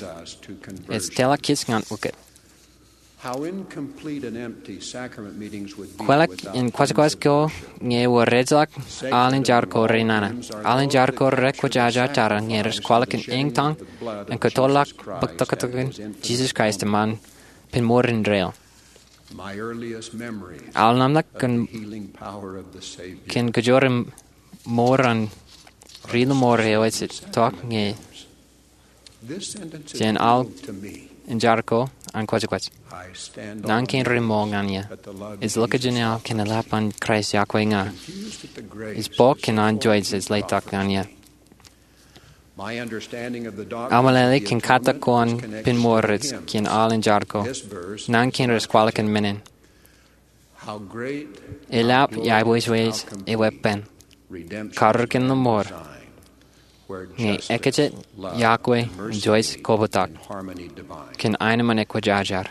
ej tōl kōj ñan ukōt. Kwōlọk in kwōjkwōj ko ñe ewōr ejjeḷọk aolepen jar ko renana. Aolepen jar ko rekwōjarjar tata ñe rej kwaḷọk in eñtaan im kōttoḷọk bōktoktōkin Jisōs Kraist eṃṃan pen mour indeeo. Aolep ṇa kōn kōjro im mour an ri-lọmọọr eo ej itok ñe jān aolepen jar ko an kwōjkwōj. Naan kein remool ñan eō. Ij lukkuun jān aō kōn eḷap an Kraist yokwe ña. Ij bōk kōn an Joseph ej letok ñan eō. Aō meḷeḷe kōn katak ko an pen mour ej kōn aolepen jar ko. Naan kein rej kwaḷọk in men in. Eḷap iwōj eweeppān. Karōk in Ṃool. Ñe ekkejel yokwe im juon kobatok kōn aenōṃṃan ekwōjarjar.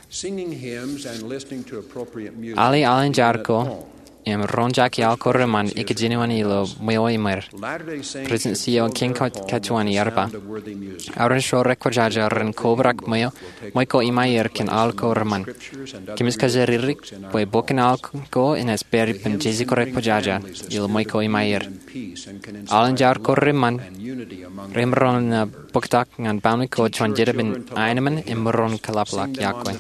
Aolep aolepen jar ko im roñjake aō ko reṃṃan ikijjien ilo ṃweo iṃaer. President C. O. King ej kajjioñ ej ba, aolep ro rekwōjarjar ren kobrak ṃweo, ṃwe ko iṃaer kōn aō ko reṃṃan. Kōmij kajjioñ ririk bwe bok in aō ko enaaj pād ippān Jeje Kwōjarjar ilo ṃwe ko iṃaer. Aolepen jar ko reṃṃan remaroñ in bōktok ñan baaṃle ko juon jerbal in aenōṃṃan im maroñ in kōḷapḷọk yokwe.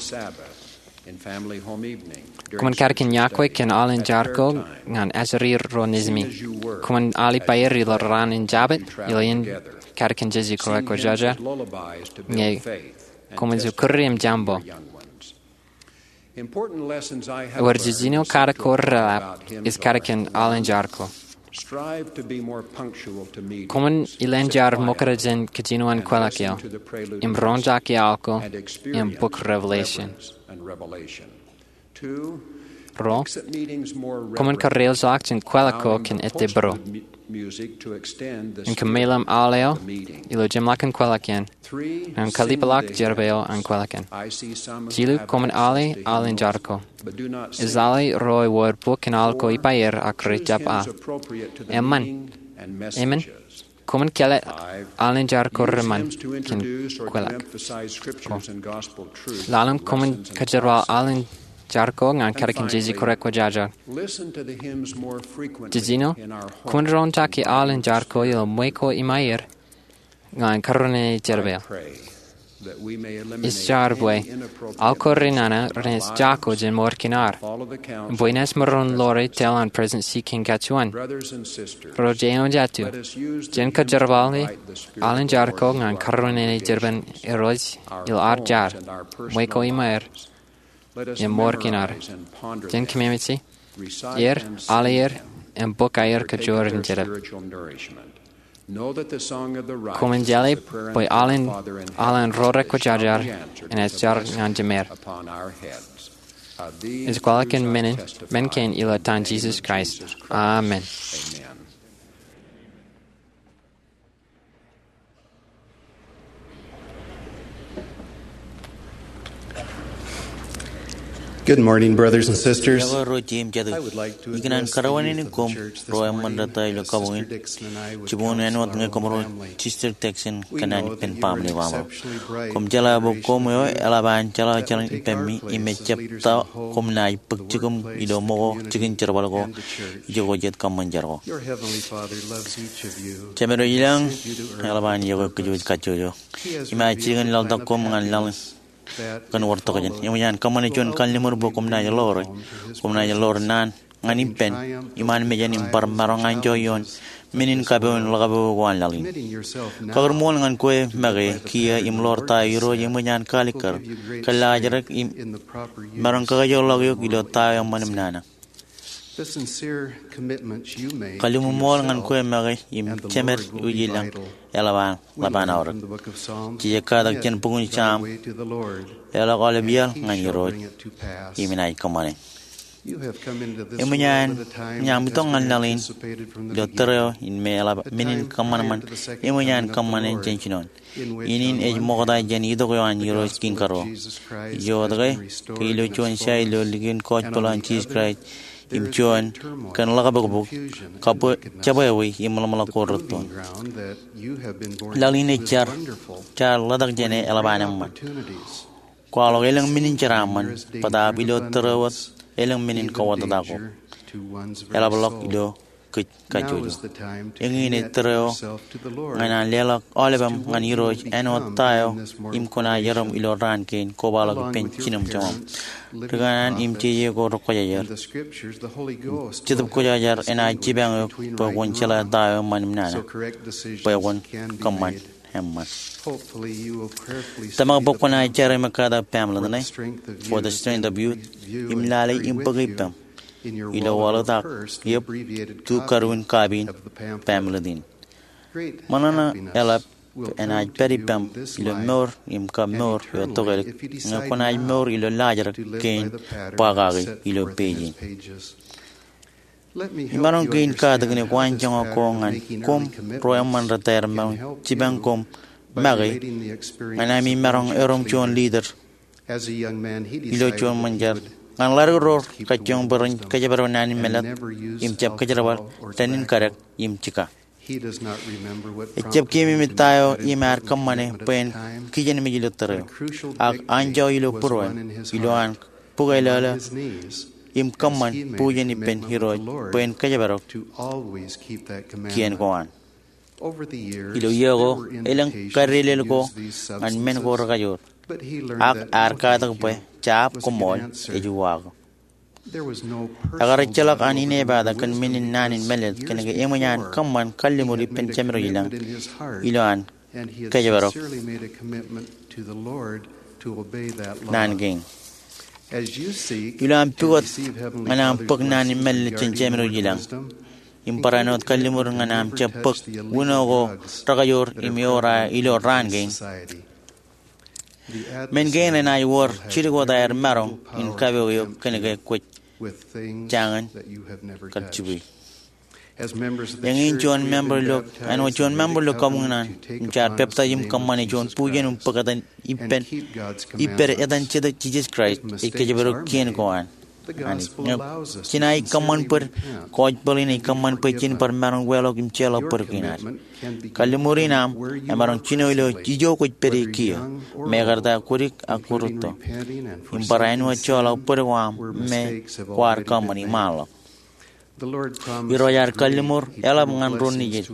Koṃwin kadkōn yokwe kōn aolepen jar ko ñan ajri ro nejimi. Koṃwin al ippāer ilo raan in Jabōt ilo iien kadkōn Jeje Kwōjarjar ñe koṃwin jab kūri im jaṃbo. Ewōr jiljino katak ko reḷap ej kadkōn aolepen jar ko. Koṃwin ilān jar ṃokta jān kajjino an kwōḷak eo im roñjake aō ko im bok Revelation. Ruo, koṃwin kareoḷọk jān kwōḷak ko kōn ettebōro im kōmeḷeḷe aolep eo ilo jemḷọkin kwōḷak in ñan kalipḷọk jerbal eo an kwōḷak in. Jilu, koṃwin ale aolepen jar ko. Ejjeḷọk ro ewōr bok in aō ko ippāer ak rejjab aō. Eṃṃan, eṃṃan, koṃwin kāālōt aolepen jar ko reṃṃan kōn kwōḷak ko. Ḷalem, koṃwin kajerbal aolepen jar ko ñan kadkōn Jeje Kwōjarjar. Jiljino, koṃwin roñjake aolepen jar ko ilo ṃwe ko iṃaer ñan karwinene jerbal. Ij jar bwe aō ko renana renaaj jako jān mour kōn ad, bwe enaaj maroñ ḷoor tōl an President C. King kajjioñ. Ro eo jeiū, jen kajerbale aolepen jar ko ñan karwinene jerbal in Irooj ilo ad jar, ṃwe ko iṃaer, im mour kōn ad. Jen kōmmeṃṃan er, ale er, im bōk aer kōjro in jedep. Koṃwin jeḷā bwe aolepen, aolepen ro rekwōjarjar enaaj jar ñan jemād. Ij kwaḷọk kōn men in, men kein ilo etan Jisōs Kraist. Amen. Good morning, brothers and sisters. Iọkwe ro jeiū im jatū. Ikōṇaan karuwaineneik koṃ ro eṃṃan rōta ilo kabuñ in. Jibboñ in āinwōt ñe koṃ ro Sister Dixon kōn an ippān baaṃle eo aṃ. Koṃ jeḷā bwe koṃ eo eḷap an jeḷā jeḷā ippemi im ejjab ta koṃ naaj bōk jikiṃ ilo ṃōko jikin jerbal ko ijoko jet kōṃṃan jar ko. Jemād eo ilañ eḷap an iọkwe kōj kajjojo. Im ej jilkinḷọk koṃ ñan laḷ in kōn wōr tokjān. Eṃōj an kōṃṃane juon kalliṃur bwe koṃ naaj ḷoore, koṃ naaj ḷoor naan ñan ippān iṃaan mejān im bar maroñ anjọ ioon men in kapo in ḷōkapo ko an laḷ in. Kakūrṃool ñan kwe make kiiō im ḷoor ta eo Irooj eṃōj an kaalikkar, kōllaajrak im maroñ kakajoorḷọk eok ilo ta eo eṃṃan im nana. Kalliṃur ṃool ñan kwe make im jemād eo ilañ eḷap an ḷap an aorōk. Jej katak jān bok in Sam, eḷọk aolep iaḷ ñan Irooj im enaaj kōṃṃane. Eṃōj an, eṃōj aṃ itok ñan laḷ in ilo tōre eo in me eḷap men in kōṃanṃan eṃōj an kōṃṃane jān jinoin. In in ej ṃokta jān itok eo an Irooj Kiiñ Karuo. Ijo wōt ke, ke ilo juon side ilo likin gospel an Jisōs Kraist im juon kōn ḷakabōkbōk, jabwābwe im ḷōmṇak ko rūttoon. Laḷ in ej jar, jaar ḷotak jān e eḷap an eṃṃan. Kwaḷọk elōñ men in jeraaṃṃan, bōtaab ilo tōre wōt elōñ men in kōwōtata ko. Eḷapḷọk ilo kōj kajjojo. Eñin ej tōre eo ñan an leḷọk aolepāṃ ñan Irooj āinwōt ta eo im kwōnaaj erom ilo raan kein kobaḷọk ippān jinem joñan. Ri kanaan im jeje ko rekwōjarjar. Jetōb Kwōjarjar enaaj jipañ eok bwe kwōn jeḷā ta eo eṃṃan im nana bwe kwōn kōṃṃan eṃṃan. Tōmak bwe kwōnaaj jar im ekkātak pāāmlet ṇe, for the strength of youth, im lale im bōk ippaṃ ilo waḷọk ak iep tu kadu in kapiin pāāmlet in. Ṃōṇōṇō eḷap enaaj pād ippaṃ ilo mour im kab mour eo tokālik ñe kwōnaaj mour ilo laajrak kein ba kaki ilo page in. Imaroñ kein katak ṇe ko an joñak ko ñan koṃ ro eṃṃan rej etaer im maroñ jipañ koṃ make ñan ami maroñ erom juon leader ilo juon ṃōn jar ñan ḷaddik ro kajjioñ bwe ren kōjparok naan in mālōtlōt im jab kōjparok dān in kadek im jika. Ejjab keememej ta eo im ear kōṃṃane bwe en kijenmej ilo tōre eo. Ak anjọ ilo būruon, ilo an bōk eḷaḷe im kōṃṃan bujen ippān Irooj bwe en kōjparok kien ko an. Ilo iiō ko, elōñ kadedeḷọk ko ñan men ko rekajoor. Ak ear katak bwe jab koṃṃool ej uwaak. Ekar ejjeḷọk an inepata kōn men in naan in mālōtlōt kōnke eṃōj an kōṃṃan kalliṃur ippān Jemedwōj ilañ ilo an kōjparok naan kein. Ilo aṃ pukot ñan aṃ bōk naan in mālōtlōt jān Jemedwōj ilañ im barāinwōt kalliṃur ñan aṃ jab bōk wūno ko rekajoor im eor aō ilo raan kein, men kein renaaj wōr jidik wōt aer maroñ in kapo eok kōnke kwōj jañin kar jibwe. Eñin juon member ilo, āinwōt juon member ilo kabuñ in an, im jaar peptaij im kōṃṃane juon bujen im bōk etan ippān, ippād etan Jetōb Jisōs Kraist, ej kōjparok kien ko an. Anij. Ñe jenaaj kōṃṃan bōd, gospel in ej kōṃṃan bwe jen bar maroñ weḷọk im jeorḷọk bōd kein ad. Kalliṃur in aṃ emaroñ jino ilo ijo kwōj pād ie kiiō, mekarta, kwōdik ak kwōrūtto, im bar āinwōt joḷọk bōd ko aṃ me kwaar kōṃṃani ṃaanḷọk. Irooj ear kalliṃur eḷap ñan ro nejid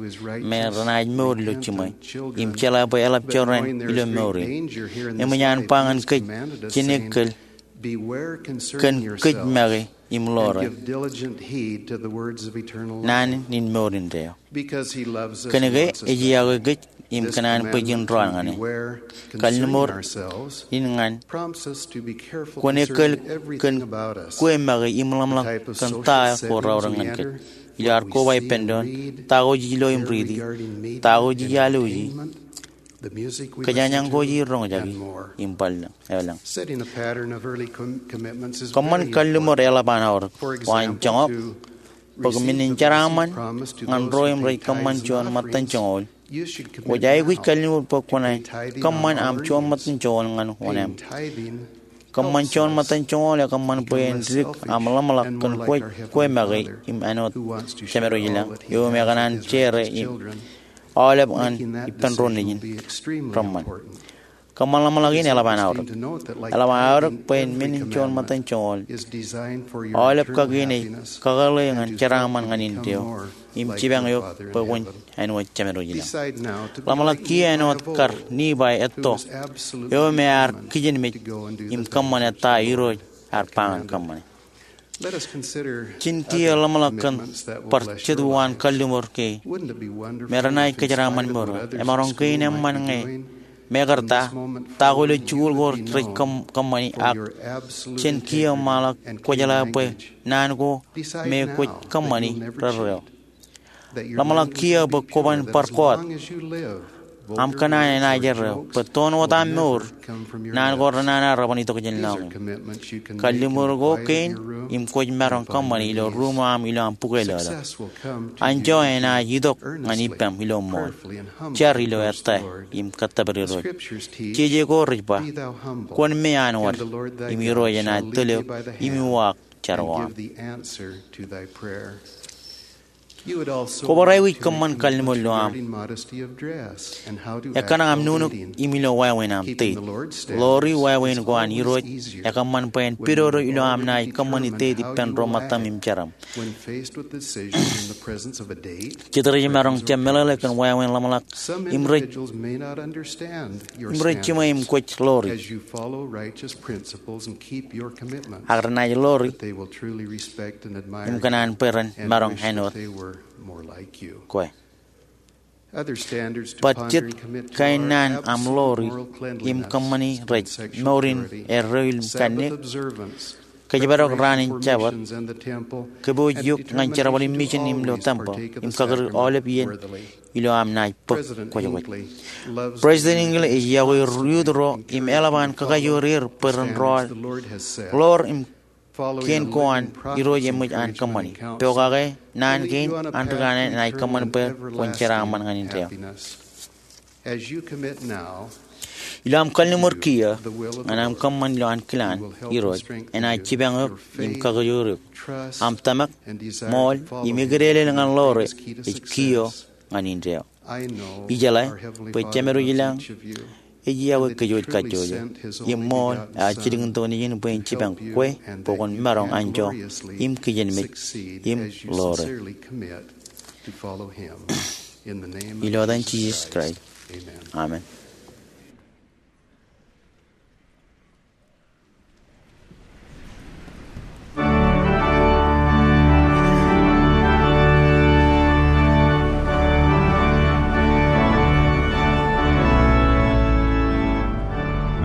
me renaaj mour ilo jiṃwe im jeḷā bwe eḷap jorrāān ilo mour in. Eṃōj an ba ñan kōj jān ekkōl kōn kōj make im ḷoore naan in mour indeeo. Kōnke ej iọkwe kōj im kōṇaan bwe jen raan ñan e. Kalliṃur in ñan kwōn ekkōl kōn kwe make im ḷōmṇak kōn ta ko raorōk ñan kōj. Ilo ad koba ippān doon, ta ko jej lo im riiti, ta ko jej alwōji, kōjañjañ ko jej roñjaki, im bar lōñ. Kōṃṃan kalliṃur eḷap an aorōk. Ko an joñak, bōk men in jeraaṃṃan ñan ro im rej kōṃṃan juon ṃōttan joñoul. Kwōj aikuj kalliṃur bwe kwōnaaj kōṃṃan aṃ juon ṃōttan joñoul ñan oṇāān. Kōṃṃan juon ṃōttan joñoul ekōṃṃan bwe en dik aṃ ḷōmṇak kōn kwe make im āinwōt Jemedwōj ilañ eo im ekōṇaan share e im aolep ñan ippān ro nejin reṃṃan. Kōṃṃan ḷōmṇak in eḷap an aorōk. Eḷap an aorōk bwe en men in juon ṃōttan joñoul. Aolep kakien ej kakōḷḷe ñan jeraaṃṃan ñan indeeo im jipañ eok bwe kwōn āinwōt Jemedwōj ilañ. Ḷōmṇak kiiō āinwōt kar Nifai etto eo me ear kijenmej im kōṃṃane ta Irooj ear ba ñan kōṃṃane. Jen kiiō ḷōmṇak kōn bar jet uwaan kalliṃur kein me renaaj kōjeraaṃṃan mour eo. Emaroñ kein eṃṃan ñe mekarta, ta ko ilo jikuuḷ ko rej kōṃ-, kōṃṃani ak jen kiiō ṃaanḷọk kwōjeḷā bwe naan ko me kwōj kōṃṃani rerreo. Ḷōmṇak kiiō bwe kwōban bar kọọt Aṃ kōṇaan enaaj erreo bwe toon wōt aṃ mour, naan ko renana rej ban itok jān lọñiṃ. Kalliṃur ko kein im kwōj maroñ kōṃṃani ilo ruuṃ eo aṃ ilo aṃ pukweilọlọk. Anjọ enaaj itok ñan ippaṃ ilo ṃool. Jar ilo ettā im kōttōpar Irooj. Jeje ko rej ba, kwōn me an wōd, im Irooj enaaj tōl eok im uwaak jar ko aṃ. Kwō bar aikuj kōṃṃan kalliṃur ilo aṃ. Ekkā aṃ nuknuk im ilo wāween aṃ deet. Lori wāween ko an Irooj ekōṃṃan bwe en pidodo ilo aṃ naaj kōṃṃani deet ippān ro ṃōttaṃ im jeraṃ. Jet rej maroñ jab meḷeḷe kōn wāween ḷōmṇak im rej, im rej jiṃwe im kwōj lori. Ak renaaj lori im kōṇaan bwe ren maroñ āinwōt kwe. Baj jet kain naan aṃ lori im kōṃṃani rej mour in erreo im kanniōk, kōjparok raan in Jabōt, kōpooj eok ñan jerbal in mission im ilo tempeḷ im kakūr aolep iien ilo aṃ naaj bōk kwōjkwōj. President Hinckley ej yokwe ri-youth ro im eḷap an kakajoor er bwe ren rọọl lor im kein ko an Irooj eṃōj an kōṃṃani. Pokake naan kein an ri kanaan enaaj kōṃṃan bwe kwōn jeraaṃṃan ñan indeeo. Ilo aṃ kalliṃur kiiō ñan aṃ kōṃṃan ilo ankilaan Irooj, enaaj jipañ eok im kakajoor eok aṃ tōmak, ṃool im eklelel ñan lore ej kiiō ñan indeeo. Ijeḷā bwe Jemedwōj ilañ ej yokwe kōj kajjojo im ṃool ear jilkintok nejin bwe en jipañ kwe bwe kwōn maroñ anjọ im kijenmej im lore. Ilo etan Jisōs Kraist, amen.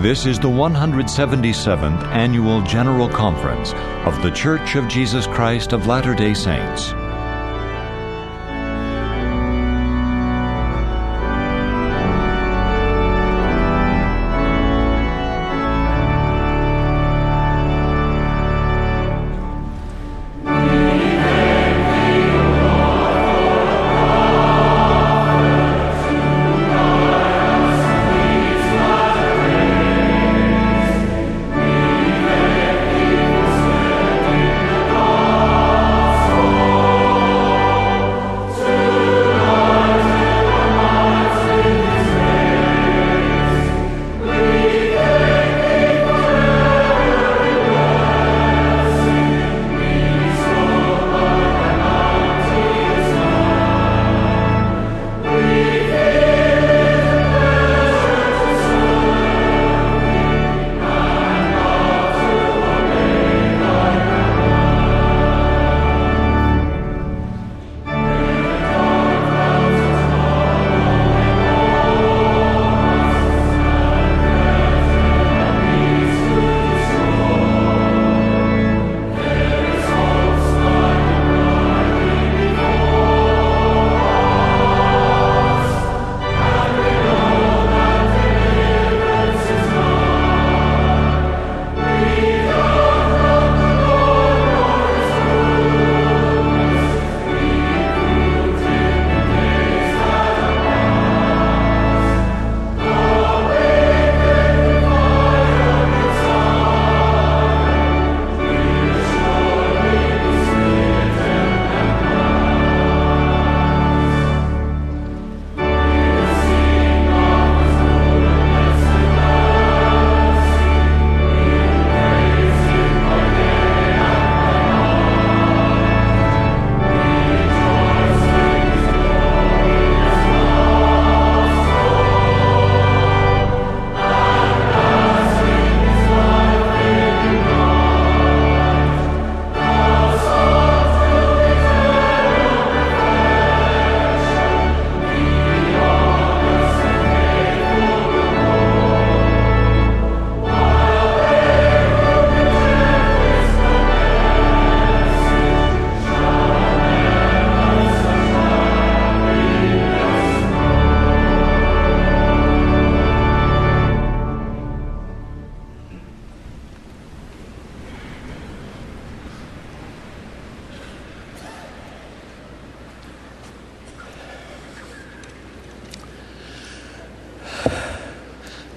This is the one hundred seventy-seventh Annual General Conference of The Church of Jesus Christ of Latter-day Saints.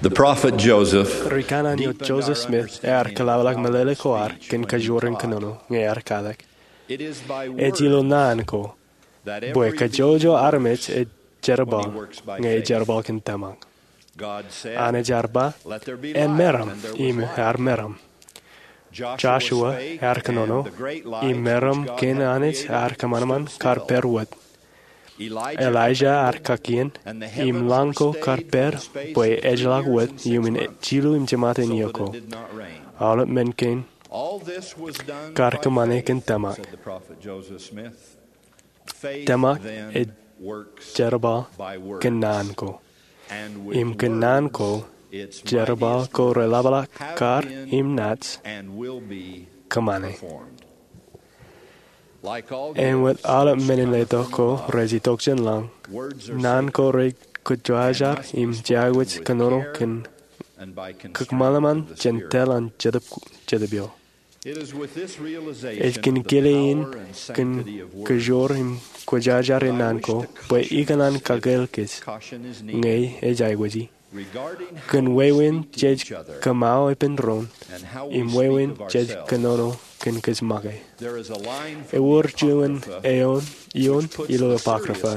The prophet Joseph Ri kanaan eo Joseph Smith ear kōḷapḷọk meḷeḷe ko ad kōn kajoor in kōnono ñe ear katak. Ej ilo naan ko bwe kajjojo armej ej jerbal ñe ej jerbal kōn tōmak. Anij ear ba, "Emeram," im ear meram. Joshua ear kōnono, im meram kein Anij ear kōṃanṃan kar pād wōt. Elijah ear kakien, im lañ ko kar pād bwe ejjeḷọk wōt iuṃwin jilu im jiṃa in iiō ko. Aolep men kein kar kōṃṃane kōn tōmak. Tōmak ej jerbal kōn naan ko. Im kōn naan ko, jerbal ko reḷapḷọk kar im naaj kōṃṃane. Āinwōt aolep men in letok ko rej itok jān lañ, naan ko rej kōjwājar im jea wōj kōnono kōn kōṃanṃan jān tōl an Jetōb, Jetōb eo. Ej kōn kile in kōn kajoor im kwōjarjar in naan ko bwe ikōṇaan kakāāl kōj ñe ej aikuji kōn wāween jej kōṃṃao epen doon im wāween jej kōnono kōn kōj make. Ewōr juon eoon ioon ilo Apocrypha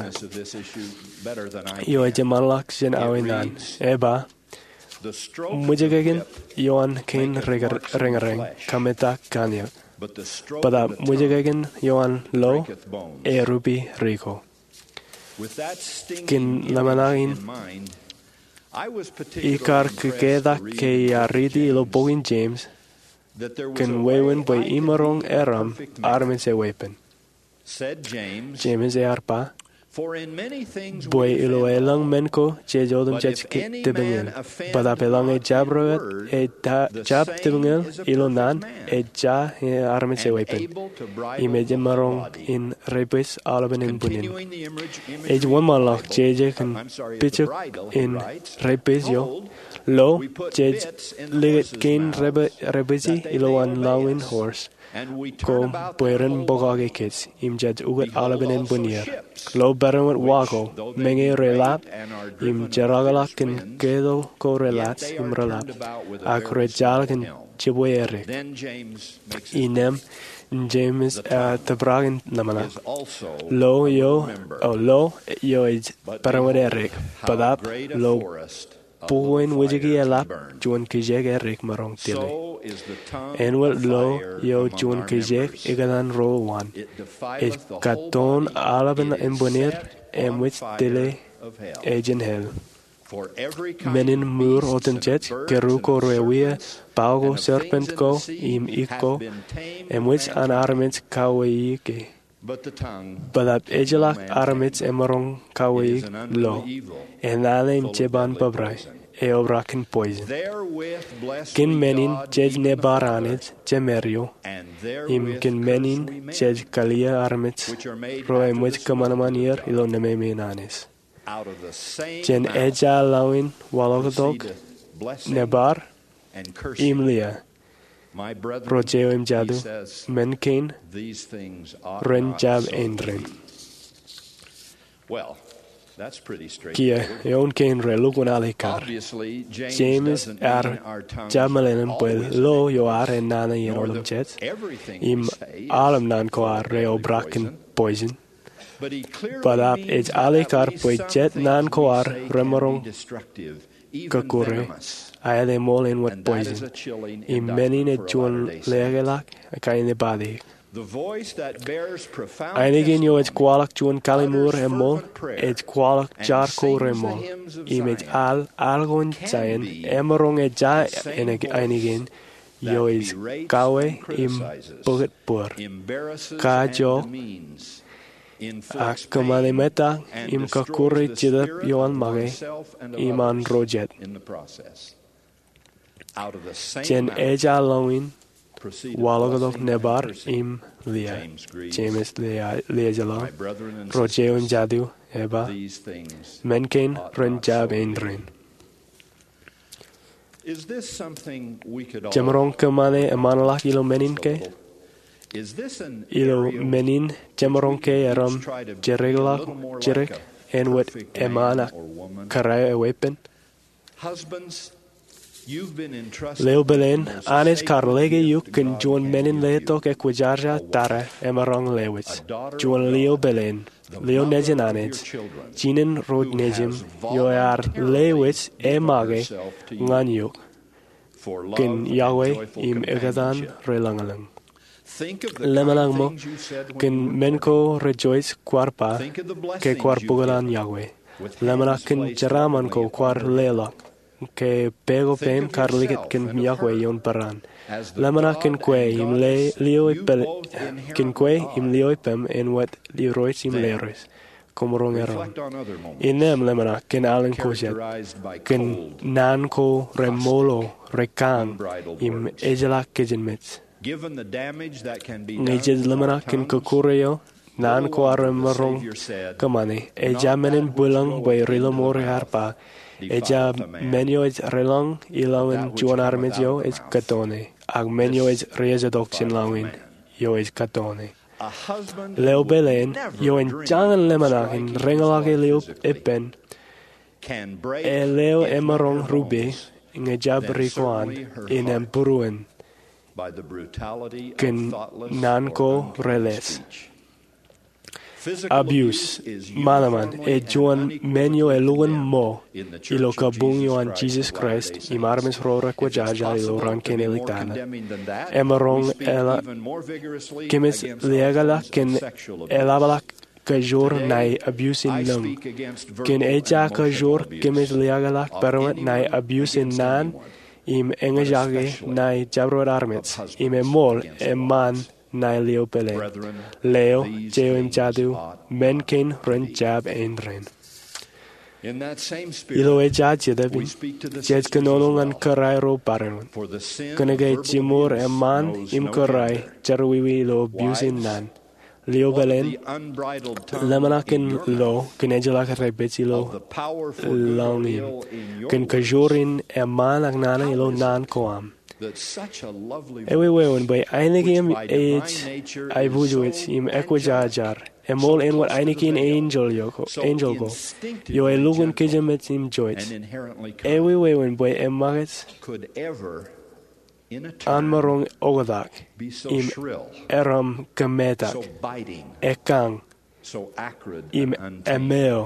eo ej eṃṃanḷọk jān aō naan. Ej ba, "Ṃwijkākin ioon kein reñrñ kametak kaniōk, bōtaab ṃwijkākin ioon lo erupi ri ko." Kōn ḷōmṇak in, ikar kōketak ke iar riiti ilo bok in James kōn wāween bwe imaroñ eram armej eweeppān. James ear ba, "Bwe ilo elōñ men ko jej otemjej tipiñin, bōtaab elōñ ejjab rewōt, ejjab tipiñin ilo naan, ejja armej eweeppān, im ej imaroñ in rebwij aolepān embwinnin." Ej wōnṃaanḷọk jeje kōn pijak in rebwij eo. Lo, jej likūt kein rebwij ilo an lañ in horse ko bwe ren bōkake kōj, im jej ukōt aolepān embwinnier. Lo peran wōt wa ko, meñe reḷap, im jerọkḷọk kōn keto ko reḷaaj im reḷap, ak rejjaḷọk kōn jibwe erik. Innām, James ear tōprak in ḷōmṇak. Lo eo, o lo eo ej peran wōt erik, bōtaab lo bukwe in wōjke eḷap juon kijeek erik maroñ tile. Āinwōt lo eo juon kijeek ikōtaan ro uwaan, ej katoon aolepān embwinnier eṃōj tile ejin hell. Men in mour otemjej, kōrā ko rewiaik, bao ko, serpent ko, im ik ko, eṃōj an armej kaweeiki. Bōtaab ejjeḷọk armej emaroñ kaweeik lo, enana im jeban bōbrae, eobrak kōn poison. Kōn men in jej nebar Anij Jemād eo, im kōn men in jej kaliō armej ro eṃōj kōṃanṃan er ilo nemāmein Anij. Jān ejja lañ in waḷọktok, nebar, im liā, ro jeiū im jatū, men kein ren jab āindein. Kiiō, eoon kein relukkuun alikkar. James ear jab meḷeḷein bwe lo eo ad enana iien otemjej, im aolep naan ko ad reobrak kōn poison. Bōtaab ej alikkar bwe jet naan ko ad remaroñ kọkkure, aet eṃool āinwōt poison. Im men in ej juon leḷọk kain epād eō. Ainikien eo ej kwaḷọk juon kalliṃur eṃool, ej kwaḷọk jar ko reṃool. Im ej al, al ko in jān emaroñ ejja ainikien eo ej kawe im bōkōt bōr, kajook, ak kōṃṃane ṃōttan im kọkkure Jetōb eo an make im an ro jet. Jān ejja lañ in waḷọktok nebar im liā. James liā, liā jeḷā. Ro jeiū im jatū, ej ba, men kein ren jab āindein. Jemaroñ kōṃṃane eṃṃanḷọk ilo men in ke? Ilo men in jemaroñ ke eram jireḷọk jidik āinwōt eṃṃan ak kōrā eweeppān? Leo Pelen, Anij kar lōke eok kōn juon men in letok ekwōjarjar tata emaroñ lewōj. Juon lio pelen, lio nejin Anij, jinen ro nejin, eo ear lewōj e make ñan eok kōn iọkwe im ekōtaan relōñlōñ. Lemṇak ṃōk kōn men ko rej jwāj kwaar ba ke kwaar bōk an iọkwe. Lemṇak kōn jeraaṃṃan ko kwaar leḷọk ke pā ko peiṃ kar likūt kōn iọkwe ioon peran. Lemṇak kōn kwe im le-, lio ippaṃ, kōn kwe im lio ippaṃ āinwōt Irooj im Lerooj. Koṃ roñ erom. Innām lemṇak kōn alen ko jet, kōn naan ko remoolo, rekañ, im ejjeḷọk kōjinmej. Ñe jej lemṇak kōn kọkkure eo, naan ko ar remaroñ kōṃṃane, ejja men in bwilōñ bwe Ri-lọmọọr ear ba, ejja men eo ej relọñ ilowaan juon armej eo ej kōtone, ak men eo ej rijetok jān lọñiin eo ej kōtone. Leo pelen eo en jañin lemṇak in reñḷọke lio ippān, eleo emaroñ rupe ñe jab ri ko an innām būruon kōn naan ko reles. Abuse, ṃanṃan, ej juon men eo elukkuun ṃo ilo kabuñ eo an Jisōs Kraist im armej ro rekwōjarjar ilo raan kein āliktata. Emaroñ eḷap, kōmij liaakḷọk kōn eḷapḷọk kajoor ṇae abuse in nōñ. Kōn ejja kajoor kōmij liaakḷọk barāinwōt ṇae abuse in naan im eñjake ṇae jabdewōt armej im eṃool eṃṃan ṇae lio pelen. Leo, jeiū im jatū, men kein ren jab āindein. Ilo ejja Jetōb in, jej kōnono ñan kōrā ro barāinwōt kōnke jiṃor eṃṃan im kōrā jerọwiwi ilo abuse in naan. Lio pelen, lemṇak kōn lo kōn ejjeḷọk rej pād ilo lọñiin, kōn kajoor in eṃṃan ak nana ilo naan ko aṃ. Eweween bwe ainikien ej aiboojoj im ekwōjarjar, eṃool āinwōt ainikien enjeḷ ko, enjeḷ ko, eo elukkuun kōjinmej im jouj. Eweween bwe eṃṃakūt an maroñ oktak im erom kōmetak, ekañ im emeo.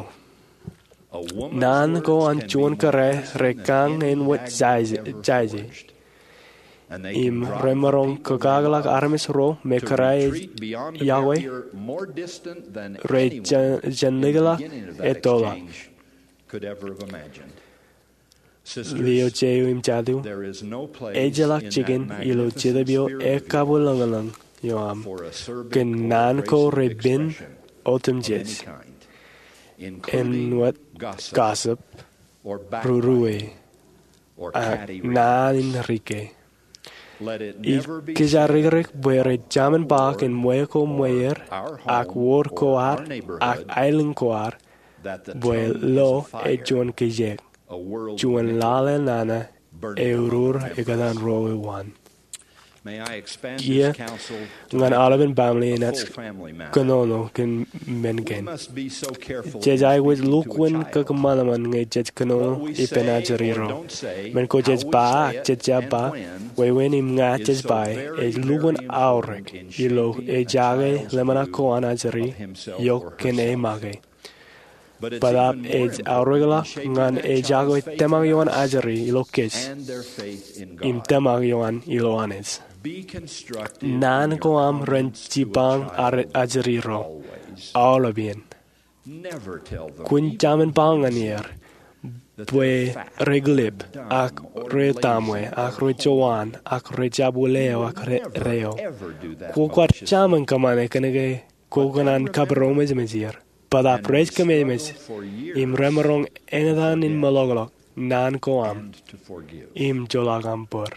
Naan ko an juon kōrā rekañ āinwōt jāje, jāje. Im remaroñ kōkakḷọk armej ro me kōrā ej iọkwe, rej jān, jān likḷọk ettoḷọk. Lio, jeiū im jatū, ejjeḷọk jikin ilo Jetōb eo ekabwilōñlōñ eo aṃ kōn naan ko repen otemjej, āinwōt gossip, rūruwe, ak naan in rike. Ij kōjarijrik bwe rej jamin ba kōn ṃweo ko ṃweer, ak wōr ko ad, ak aelōñ ko ad, bwe lo ej juon kijeek, juon lale nana, eurur ekōtaan ro eo an. Kiiō ñan aolepen baaṃle in ej kōnono kōn men kein. Jej aikuj lukkuun kōkōṃanṃan ñe jej kōnono ippān ajri ro. Men ko jej ba ak jej jab ba, wāween im ña jej ba, ej lukkuun aorōk ilo ejake lemṇak ko an ajri eok kōn e make. Bōtaab ej aorōkḷọk ñan ejako tōmak eo an ajri ilo kōj im tōmak eo an ilo Anij. Naan ko aṃ ren jipañ ajri ro aolepān. Kwōn jamin ba ñan er bwe rekilep, ak retaṃwe, ak rejowaan, ak rejab wūleo, ak reo. Kwō kwaar jamin kōṃṃane kōnke kwō kōṇaan kapiroṃōjṃōj er. Bōtaab rej kōmemej im remaroñ eñtaan in meḷọkḷọk naan ko aṃ im joḷọk aṃ bōd.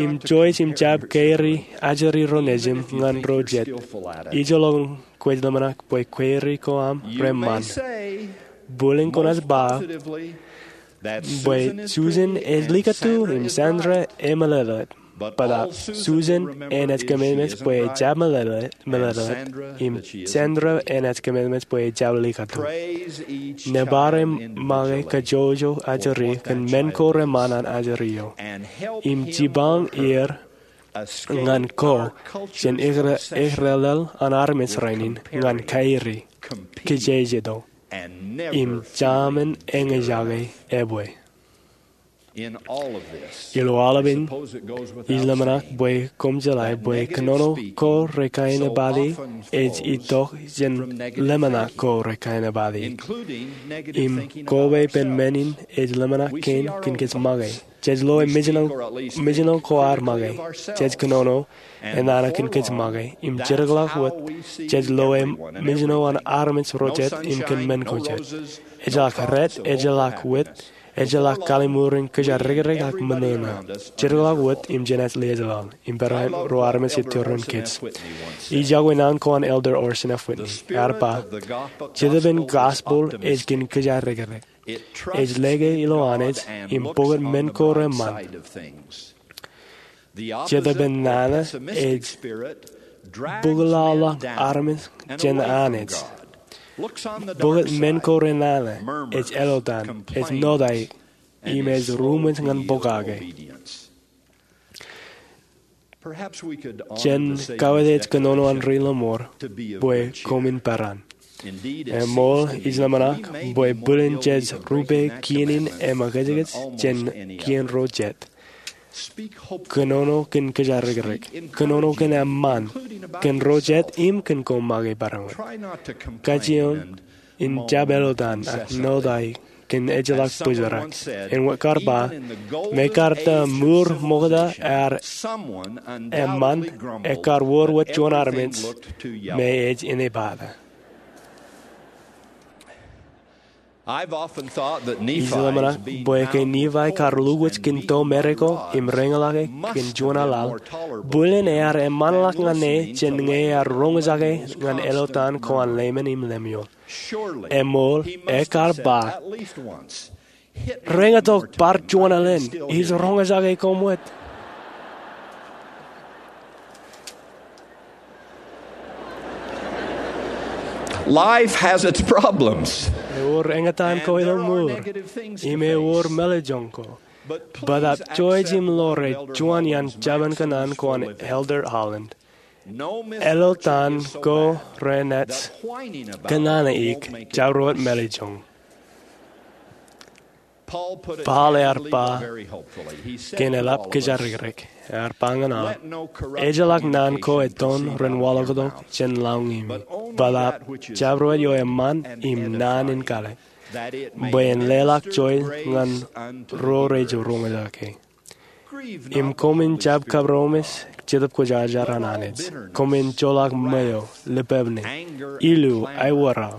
Im jouj im jab keri ajri ro nejin ñan ro jet. Ijolọkin kwōj ḷōmṇak bwe keri ko aṃ reṃṃan. Bōlen kwōnaaj ba bwe Susan ej likūtū im Sandra ej meḷeḷe. Bōtab Susan enaaj kōmeḷeḷe bwe ejjab meḷeḷe, meḷeḷe, im Sandra enaaj kōmeḷeḷe bwe ejjab likatu. Nōbar im make kajjojo ajri kōn men ko reṃṃan an ajri eo, im jipañ er ñan ko jān ekre-, ekrelel an armej rainin ñan kairi, kijejeto, im jaṃin eñjake ebwe. Ilo aolepān, ij ḷōmṇak bwe koṃ jeḷā bwe kōnono ko rekainepati ej itok jān ḷōmṇak ko rekainepati. Im koba ippān men in ej ḷōmṇak kein kōn kōj make. Jej loe mejān, mejān ko ad make. Jej kōnono enana kōn kōj make. Im jidikḷọk wōt, jej loe mejān an armej ro jet im kōn men ko jet. Ejjeḷọk rat, ejjeḷọk wit, ejjeḷọk kalliṃur in kōjatdikdik ak ṃōṇōṇō. Jidikḷọk wōt im jenaaj liaaj laḷ. Im barāinwōt ro armej ej tūrin kōj. Ij iọkwe naan ko an Elder Orson F. Whitney. Ear ba, Jetōb in gospel ej kōn kōjatdikdik. Ej lōke ilo Anij im pukot men ko reṃṃan. Jetōb in nana ej bōkḷọk armej jān Anij. Bōkot men ko renana, ej elotan, ej notaik, im ej ruṃwij ñan pokake. Jen kawōj kōnono an ri lọmọọr bwe koṃwin peran. Eṃool, ij ḷōmṇak bwe bwilin jej rupe kien in eṃōkajkōj jān kien ro jet. Kōnono kōn kōjatdikdik. Kōnono kōn eṃṃan kōn ro jet im kōn koṃ make barāinwōt. Kajjioñ in jab elotan ak notaik kōn ejjeḷọk bōjrak. Āinwōt kar ba, me kar ta mour ṃokta ear eṃṃan, ekar wōr wōt juon armej me ej inepata. Ij ḷōmṇak bwe ke Nifai kar lukwōj kōn to Meriko im reñḷọke kōn juon aḷaḷ, bwilin ear eṃṃanḷọk ñan e jān ñe ear roñjake ñan elotan ko an Leiman im Lemuel. Eṃool, ekar ba, reñotok bar juon alen, ij roñjake koṃ wōt. Life has its problems. Ewōr eñtaan ko ilo mour, im ewōr mālejjoñ ko. Bōtab joij im ḷoor ej juon iaan jabōn kōṇaan ko an Elder Holland. Elotan ko renaaj kōṇaan eik, jabdewōt mālejjoñ. Paul ear ba kōn eḷap kōjatdikdik, ear ba ñan aō, ejjeḷọk naan ko ettoon ren waḷọktok jān lọñimi, bōtab jabdewōt eo eṃṃan im naan in kāālōt, bwe en leḷọk joy ñan ro rej roñjake. Im koṃwin jab kabarōṃōj Jetōb Kwōjarjar an Anij. Koṃwin joḷọk ṃweo, lipebne, ilu, aiwōrao,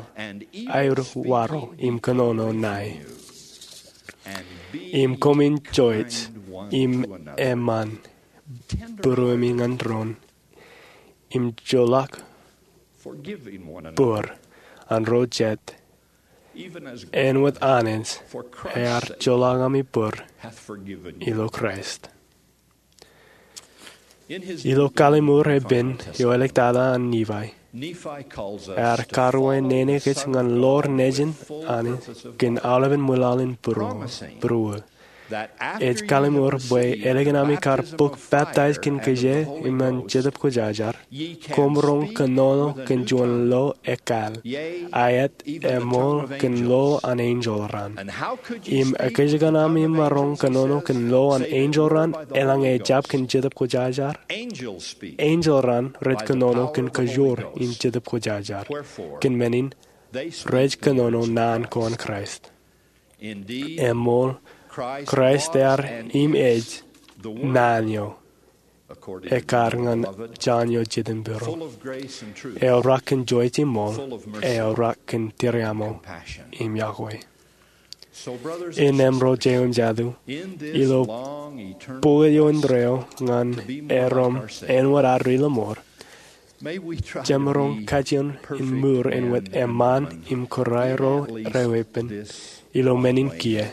aiwaro, im kōnono ṇae. Im koṃwin joij im eṃṃan būruemi ñan doon, im joḷọk bōd an ro jet, āinwōt Anij ear joḷọk ami bōd ilo Kraist. Ilo kalliṃur epen eo āliktata an Nifai, ear karuwainene kōj ñan ḷoor nejin Anij kōn aolepen ṃwilaḷ in būruō, būruō. Ej kalliṃur bwe ālikin ami kar bōk peptaij kōn kōjā im ñan Jetōb Kwōjarjar, koṃ roñ kōnono kōn juon lo ekkāāl, aet eṃool kōn lo an enjeḷ raṇ. Im ekōjkan ami maroñ kōnono kōn lo an enjeḷ raṇ eḷaññe ejjab kōn Jetōb Kwōjarjar? Enjeḷ raṇ rej kōnono kōn kōjoor in Jetōb Kwōjarjar. Kōn men in, rej kōnono naan ko an Kraist. Eṃool, Kraist ear im ej naan eo ekkar ñan Jon eo jidim būruō. Eorrak kōn joij im ṃool, eorrak kōn tiriaṃo im iọkwe. Innem ro jeiū im jatū, ilo pukot eo indeeo ñan erom āinwōt ad ri lọmọọr, jemaroñ kajjioñ in mour āinwōt eṃṃan im kūraero reweeppān ilo men in kiiō.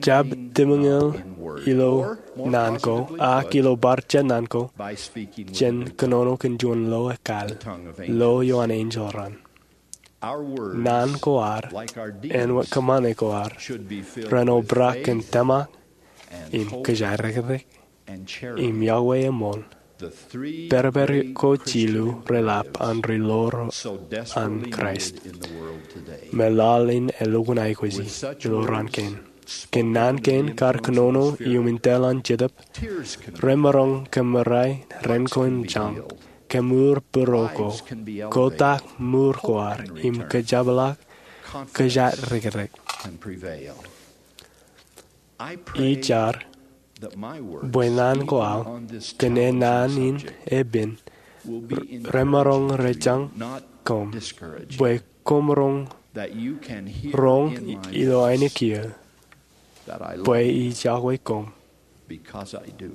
Jab tūmōñoul ilo naan ko, ak ilo bar jet naan ko, jen kōnono kōn juon lo ekāāl, lo eo an enjeḷ raṇ. Naan ko ad, āinwōt kōṃṃane ko ad, ren obrak kōn tōmak, im kōjatdikdik, im yokwe eṃool, pād pād ko jilu relap an ri lo ro an Kraist, me laḷ in elukkuun aikuji ilo raan kein. Kōn naan kein kar kōnono iuṃwin tōl an Jetōb, remaroñ kōmōrā ren ko im jañ, kōmur būruo ko, kotak mour ko ad, im kōjepḷaak kōjatdikdik. Ij jar bwe naan ko aō, kōn e naan in epen, remaroñ rejañ koṃ, bwe koṃ roñ roñ ilo ainikien bwe ij yokwe koṃ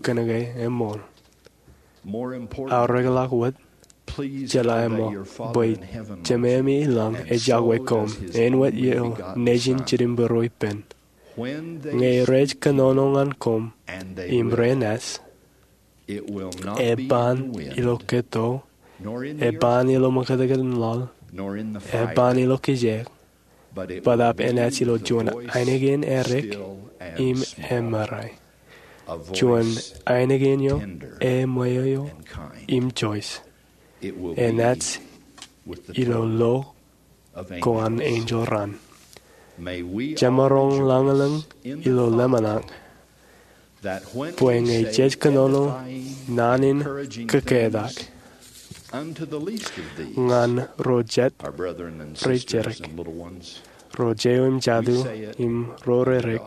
kōnke eṃool. Aorekḷọk wōt, jeḷā ṃōk bwe Jemāmi ilañ ej yokwe koṃ, āinwōt eo nejin jitōnbōro ippān. Ñe rej kōnono ñan koṃ im renaaj, eban ilo keto, eban ilo ṃōkātkāt in laḷ, eban ilo kijeek, bōtaab enaaj ilo juon ainikien edik im emaroñ, juon ainikien eo eṃweo im joij. Enaaj ilo lo ko an enjeḷ raṇ. Jemaroñ lañlōñ ilo ḷōmṇak bwe ñe jej kōnono naan in kōketak ñan ro jet rej jidik, ro jeiū im jatū, im ro redik,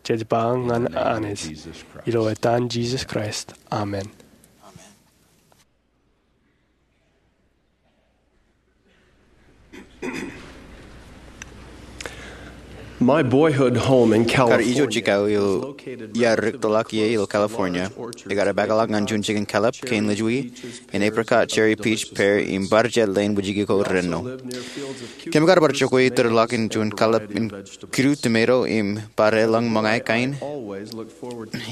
jej ba ñan Anij, ilo etan Jisōs Kraist, amen. My boyhood home in Kar California ijo jikao eo iar riktōḷọk ie ilo California, ekar epākḷọk ñan juon jikin kalōb kein lejwi in apricot cherry peach pear im bar jet leen wūjiki ko rennọ. Kōm kar bar jokwe itōrḷọk in juon kalōb in kidu tomato im bar elōñ ṃōñā kain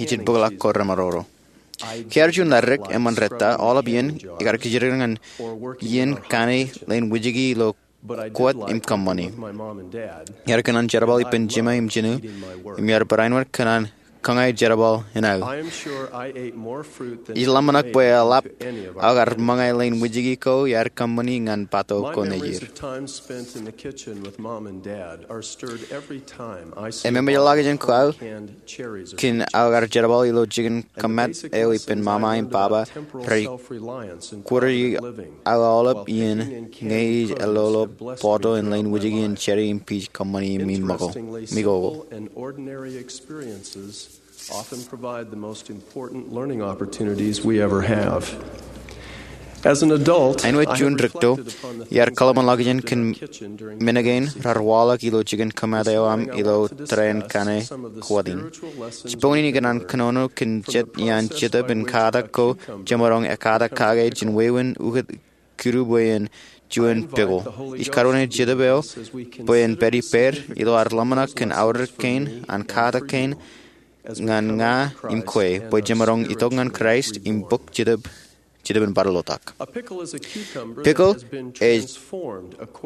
ijin bōkḷọk ko remaroñro. Kiiō juon ḷadik eṃṃan rōta, aolep iien ikar kijirikdik ñan iien kaṇe leen wūjiki ilo kwōt im kōṃṃani. Iar kōṇaan jerbal ippān jiṃa im jinū, im iar barāinwōt kōṇaan kōñā jerbal in aō. Ij ḷōmṇak bwe eḷap aō kar ṃōñā leen wūjiki ko iar kōṃṃani ñan bato ko nejier. Im eṃōjḷọk jān kōṃṃan kōn aō kar jerbal ilo jikin kōmāt eo ippān ṃaṃa im baba rej kwōrji aō aolep iien ñe ij elolo bọọto in leen wūjiki in cherry im peach kōṃṃani im ṃōko. Often provide the most important learning opportunities we ever have. As an adult, āinwōt juon rikto, iar kōḷmānḷọkjeṇ kōn men kein raar waḷọk ilo jikin kōmāt eo aṃ ilo tōre in kaṇe kwōt in. Jibboñin ikōṇaan kōnono kōn jet iaan Jetōb in katak ko jemaroñ ekatak kake jān wāween ukōt kidu bwe en juon pickle. Ij karuwainene Jetōb eo bwe en pād ippād ilo ad ḷōmṇak kōn aorōk kein an katak kein ñan ña im kwe bwe jemaroñ itok ñan Kraist im bōk Jetōb, Jetōb in bar lotak. Pickle ej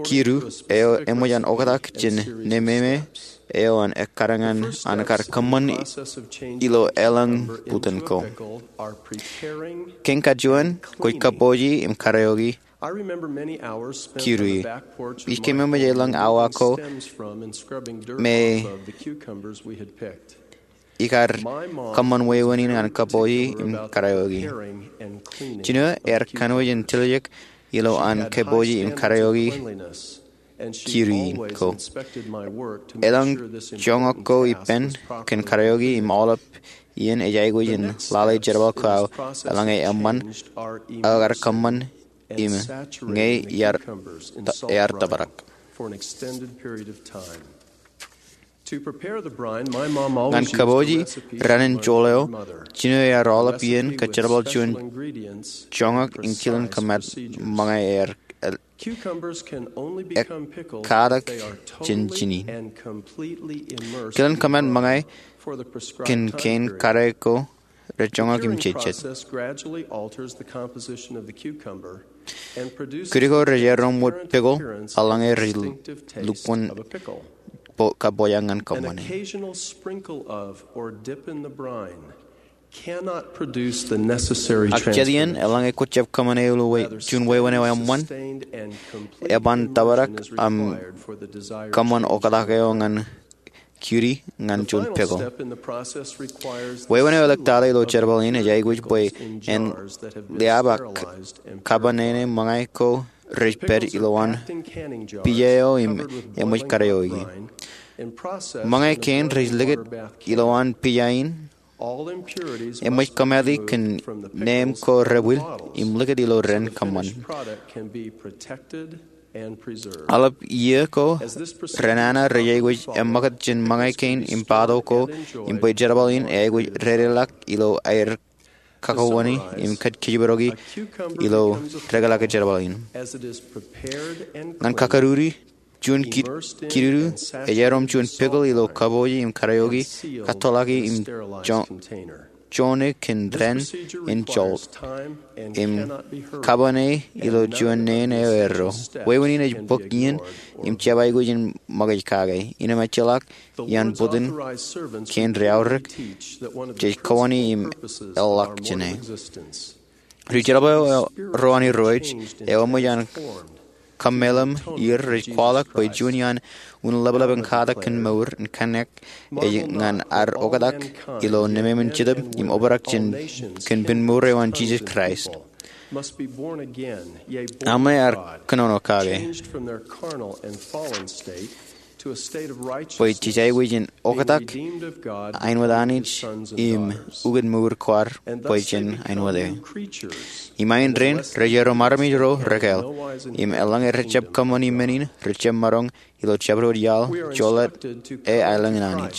kidu eo eṃōj an oktak jān nememe eo an ekkar ñan an kar kōṃṃan ilo elōñ butōn ko. Kein kajuon kwōj kabouji im karaoke kidu ie. Ij keememej elōñ awa ko me ikar kōṃṃan wāween in ñan kabouji im karaoke. Jino ear kanooj in tiljek ilo an kabouji im karaoke kidu in ko. Elōñ joñak ko ippān kōn karaoke im aolep iien ej aikuj in lale jerbal ko aō eḷaññe eṃṃan aō kar kōṃṃan im ñe ear tōprak. Ñan kabouji raṇ in joḷ eo, jino ear aolep iien kōjerbal juon joñak in kilen kōmāt ṃōñā ear ekkatak jān jinen. Kilen kōmāt ṃōñā kōn kein kade ko rej joñak im jejjet. Kūdi ko rej erom wōt pickle, eḷaññe rej lukkuun kapojak ñan kōṃṃane. Ak jet iien, eḷaññe kwōjab kōṃṃane ilo juon wāween eo eṃṃan, eban tōprak im kōṃṃan oktak eo ñan kūdi ñan juon pickle. Wāween eo eḷak tata ilo jerbal in ej aikuj bwe en liaab ak kapanene ṃōñā ko rej pād ilowaan pija eo im eṃōj kadeoiki. Ṃōñā kein rej likūt ilowaan pija in, eṃōj kōmāti kōn neeṃ ko rebwil im likūt ilo dān kōṃṃan. Aolep iiō ko renana rej aikuj eṃṃakūt jān ṃōñā kein im pato ko im bwe jerbal in eaikuj dedeḷọk ilo aer kakowoni im kōjparok ilo dekḷọk jerbal in. Ñan kakūruti, juon kidudu ej erom juon pickle ilo kapoji im kadeoiki, kattoḷọki im joñe kōn dān in jolt im kapane ilo juon neen eo erro. Wāween in ej bōk iien im jab aikuj in ṃōkaj kake. Innām ejjeḷọk iaan bōtōn kein rej aorōk, jej kowoni im eḷḷọk jāne. Ri-jerbal ro an irooj eo eṃōj an kōmmeḷeḷe er rej kwaḷọk bwe juon iaan un ḷapḷap in katak kōn mour in kōnnaan ej ñan ad oktak ilo nemāmein jetōb im obrak jān kōn pen mour eo an Jisōs Kraist. Aṃ ṇe ad kōnono kake bwe jej aikuj in oktak āinwōt Anij im ukōt mour ko ad bwe jen āinwōt e. Im āindein, rej erom armej ro rekāāl, im eḷaññe rejjab kōṃṃani men in, rejjab maroñ ilo jabdewōt iaḷ jolōt e aelōñ in Anij.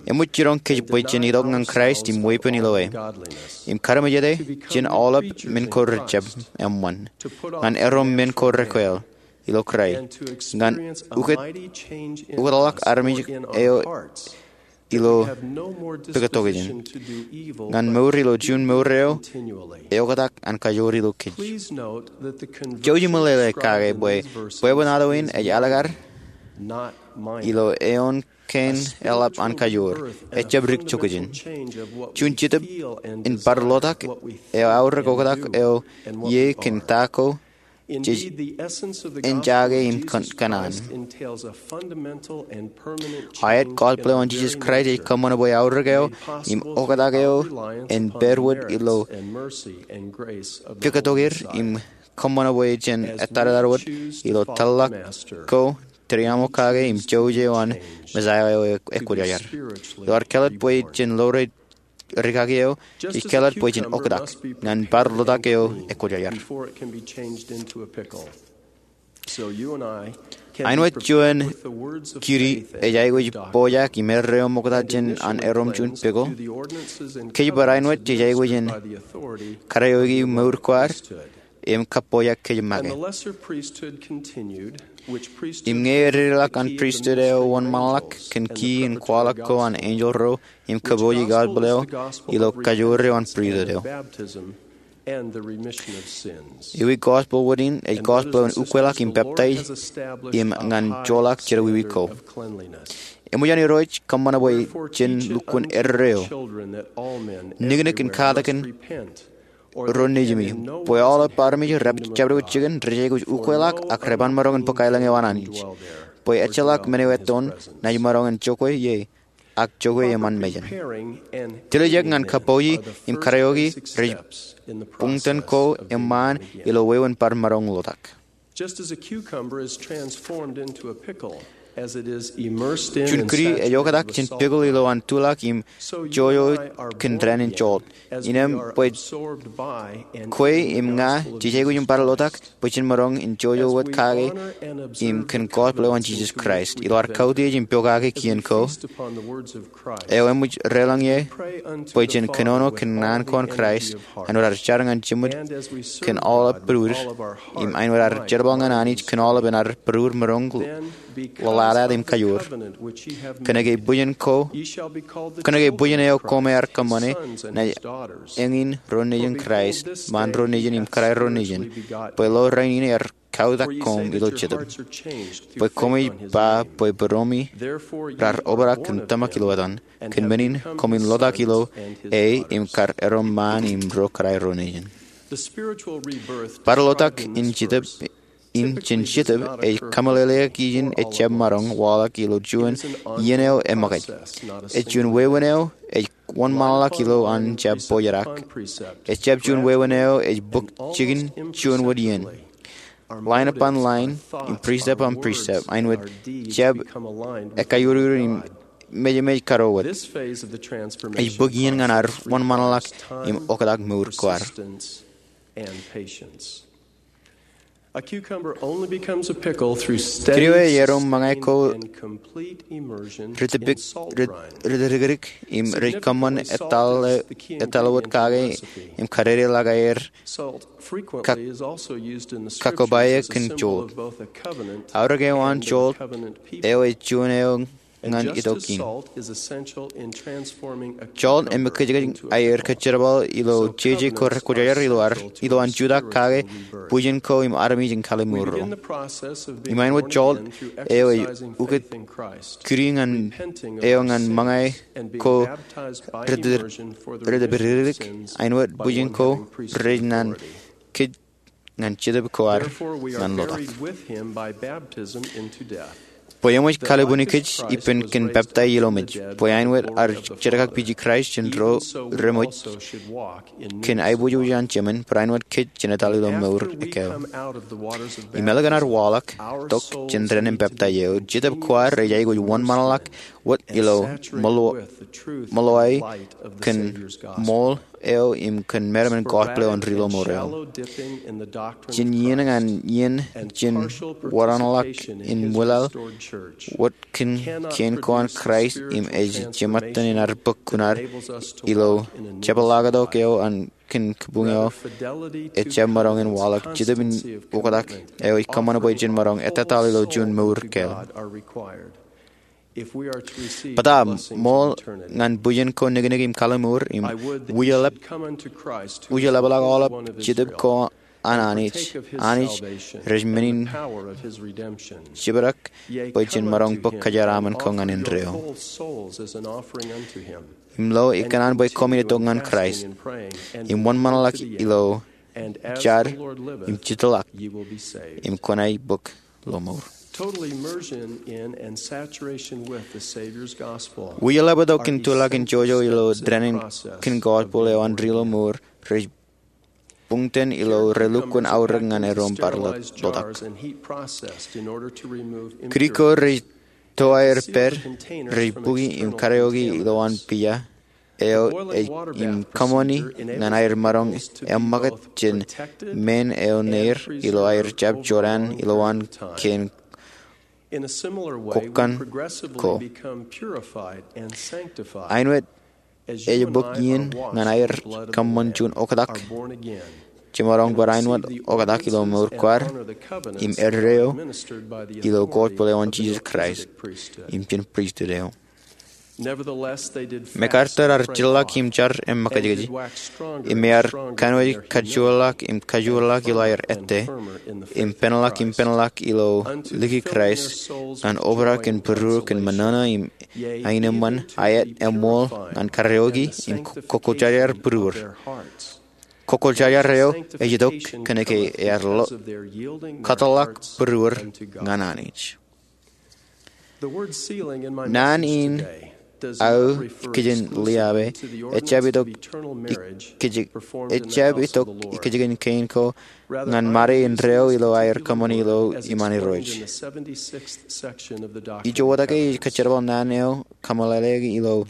Eṃōj jiroñ kōj bwe jen itok ñan Kraist im weeppān ilo e, im kademeje jān aolep men ko rejjab eṃṃan, ñan erom men ko rekāāl ilo Kraist, ñan ukōtḷọk armej eo ilo pukot tokjān, ñan mour ilo juon mour eo eoktak an kajoor ilo kōj. Jouj im meḷeḷe kake bwe bwebwenato in ej alikkar ilo eoon kein eḷap an kajoor, ejjab dik tokjān. Juon jetōb in bar lotak eo aorōk oktak eo ie kōn ta ko jej enjake im kōn kōṇaan. Aet, gospel eo an Jisōs Kraist ej kōṃṃan bwe aorōk eo im oktak eo en pād wōt ilo pukot tokjān im kōṃṃan bwe jen ettadtad wōt ilo tōllọk ko, tūriaṃo kake im jouj eo an Mesaia eo ekwōjarjar. Ilo ad kāālōt bwe jen ḷoore rikaki eo, jej kāālōt bwe jen oktak ñan bar lotak eo ekwōjarjar. Āinwōt juon kūdi ej aikuj pojak im erreo ṃokta jān an erom juon pickle, kōj bar āinwōt jej aikuj in kadeoiki mour ko ad im kapojak kōj make. Im ñe ededeḷọk an pristut eo wōnṃaanḷọk kōn key in kwaḷọk ko an enjeḷ ro im kapooji gospel eo ilo kajoor eo an pristut eo. Ewi gospel wōt in ej gospel eo an ukweḷọk im peptaij im ñan joḷọk jerọwiwi ko. Eṃōj an Irooj kōṃṃan bwe jen lukkuun erreo niknik in katakin ro nejimi, bwe aolep armej rej jabdewōt jikin rej aikuj ukweḷọk ak rej ban maroñ in bōk aelōñ eo an Anij, bwe ejjeḷọk men eo ettoon naaj maroñ in jokwe ie ak jokwe eṃṃan mejān. Tiljek ñan kapooji im kadeoiki rej buñtōn ko eṃṃaan ilo wāween bar maroñ lotak. Juon kūdi ej oktak jān pickle ilo an tuḷọk im jojo kōn dān in jolt. Innām bwe kwe im ña jej aikuj in bar lotak bwe jen maroñ in jojo wōt kake im kōn gospel eo an Jisōs Kraist. Ilo ad kautiej im pokake kien ko eo eṃōj deḷọñ ie bwe jen kōnono kōn naan ko an Kraist, āinwōt ad jar ñan jiṃod kōn aolep būruod, im āinwōt ad jerbal ñan Anij kōn aolepen ad būruod, maroñ, ḷōḷātāt im kajoor. Kōnke bwijin ko, kōnke bwijin eo koṃ ar kōṃṃane, ña eñin ro nejin Kraist, ṃaan ro nejin im kōrā ro nejin, bwe lo rainin er kautak koṃ ilo Jetōb. Bwe koṃij ba bwe bōroṃi rar obrak kōn tōmak ilo etan, kōn men in koṃwin lotak ilo e im kar erom ṃaan im ro kōrā ro nejin. Bar lotak in Jetōb, in jān Jetōb ej kameḷeḷeik ijin ej jab maroñ waḷọk ilo juon iien eo eṃōkaj. Ej juon wāween eo ej wōnṃaanḷọk ilo an jab bōjrak. Ej jab juon wāween eo ej bōk jikin juon wōt iien, line upon line, im precept upon precept, āinwōt jab ekaiuruur im mejmej kōto wōt. Ej bōk iien ñan ad wōnṃaanḷọk im oktak mour ko ad. Kōn eo ej erom ṃōñā ko ri tōpik, ri tōpik im rej kōṃṃan etal, etal wōt kake im kadedeḷọk aer kak, kakkobāe kōn jolt. Aorōk eo an jolt eo ej juon eo ñan itok in. Jolt eṃōkajkōj aer kōjerbal ilo jeje ko rekwōjarjar ilo ad, ilo an jutak kake bwijin ko im armej in kallimur ro. Im āinwōt jolt eo ej ukōt kūri ñan eo ñan ṃōñā ko ri tōpik, āinwōt bwijin ko rej naan kōj ñan Jetōb ko ad ñan lotak. Bwe eṃōj kallibunikōj ippān kōn peptaij ilo mej, bwe āinwōt ad jerkakpiji Kraist jān ro reṃōj kōn aiboojoj an jemān, barāinwōt kōj jān etal ilo mour ekkā. Im ālikin ad waḷọk tok jān dān in peptaij eo, Jetōb ko ad ej aikuj wōnṃaanḷọk wōt ilo ṃōḷo, ṃōḷo eo kōn ṃool eo im kōn meram in gospel eo an ri ḷōṃur eo. Jān iien ñan iien, jān wōnṃaanḷọk in ṃwilaḷ wōt kōn kein ko an Kraist im ej jeṃaten in ad bōk kuṇaad ilo jepḷaaktok eo an kōn kabuñ eo ejjab maroñ in waḷọk Jetōb in oktak eo ej kōṃṃan bwe jen maroñ etetal ilo juon mour kāāl. Bōtab ṃool ñan bwijin ko niknik im kallimuur im wijelep, wijelepḷọk aolep Jetōb ko an Anij, Anij rej men in jibdek bwe jen maroñ bōk kōjeraaṃṃan ko ñan indeeo. Im lo ikōṇaan bwe koṃwin itok ñan Kraist im wōnṃaanḷọk ilo jar im jitḷọk im kwōnaaj bōk ḷōṃur. Wijeleptok kōn tōl ḷọk in jojo ilo dān in kōn gospel eo an ri ḷōṃur rej buñtōn ilo relukkuun aorōk ñan erom bar lotak. Kūri ko rej to aer pād rej bukwi im karaoke ilowaan pija eo im kōṃṃani ñan aer maroñ eṃṃakūt jān men eo neir ilo aer jab jorrāān ilowaan kein kōkkan ko. Āinwōt ej bōk iien ñan aer kōṃṃan juon oktak, jemaroñ barāinwōt oktak ilo mour ko ad im eddo ilo gospel eo an Jisōs Kraist im jān pristut eo. MacArthur ear jitḷọk im jar eṃṃakūtkūt, im ear kanooj kajoorḷọk im kajoorḷọk ilo aer ettā, im penḷọk im penḷọk ilo likūt Kraist ñan obrak in būruō kōn ṃōṇōṇō im aenōṃṃan, aet, eṃṃool ñan karaoke im kokkōjarjar būruōd. Kokkōjarjar eo ej itok kōnke ear lo, kōtḷọk būruōd ñan Anij. Naan in aō kōjin liabe ejjab itok ikōjkan, ejjab itok ikōjkan kein ko ñan ṃade indeeo ilo aer kōṃṃani ilo iṃaan Irooj. Ij wōtake ij kōjerbal naan eo kaṃṃoolole ilo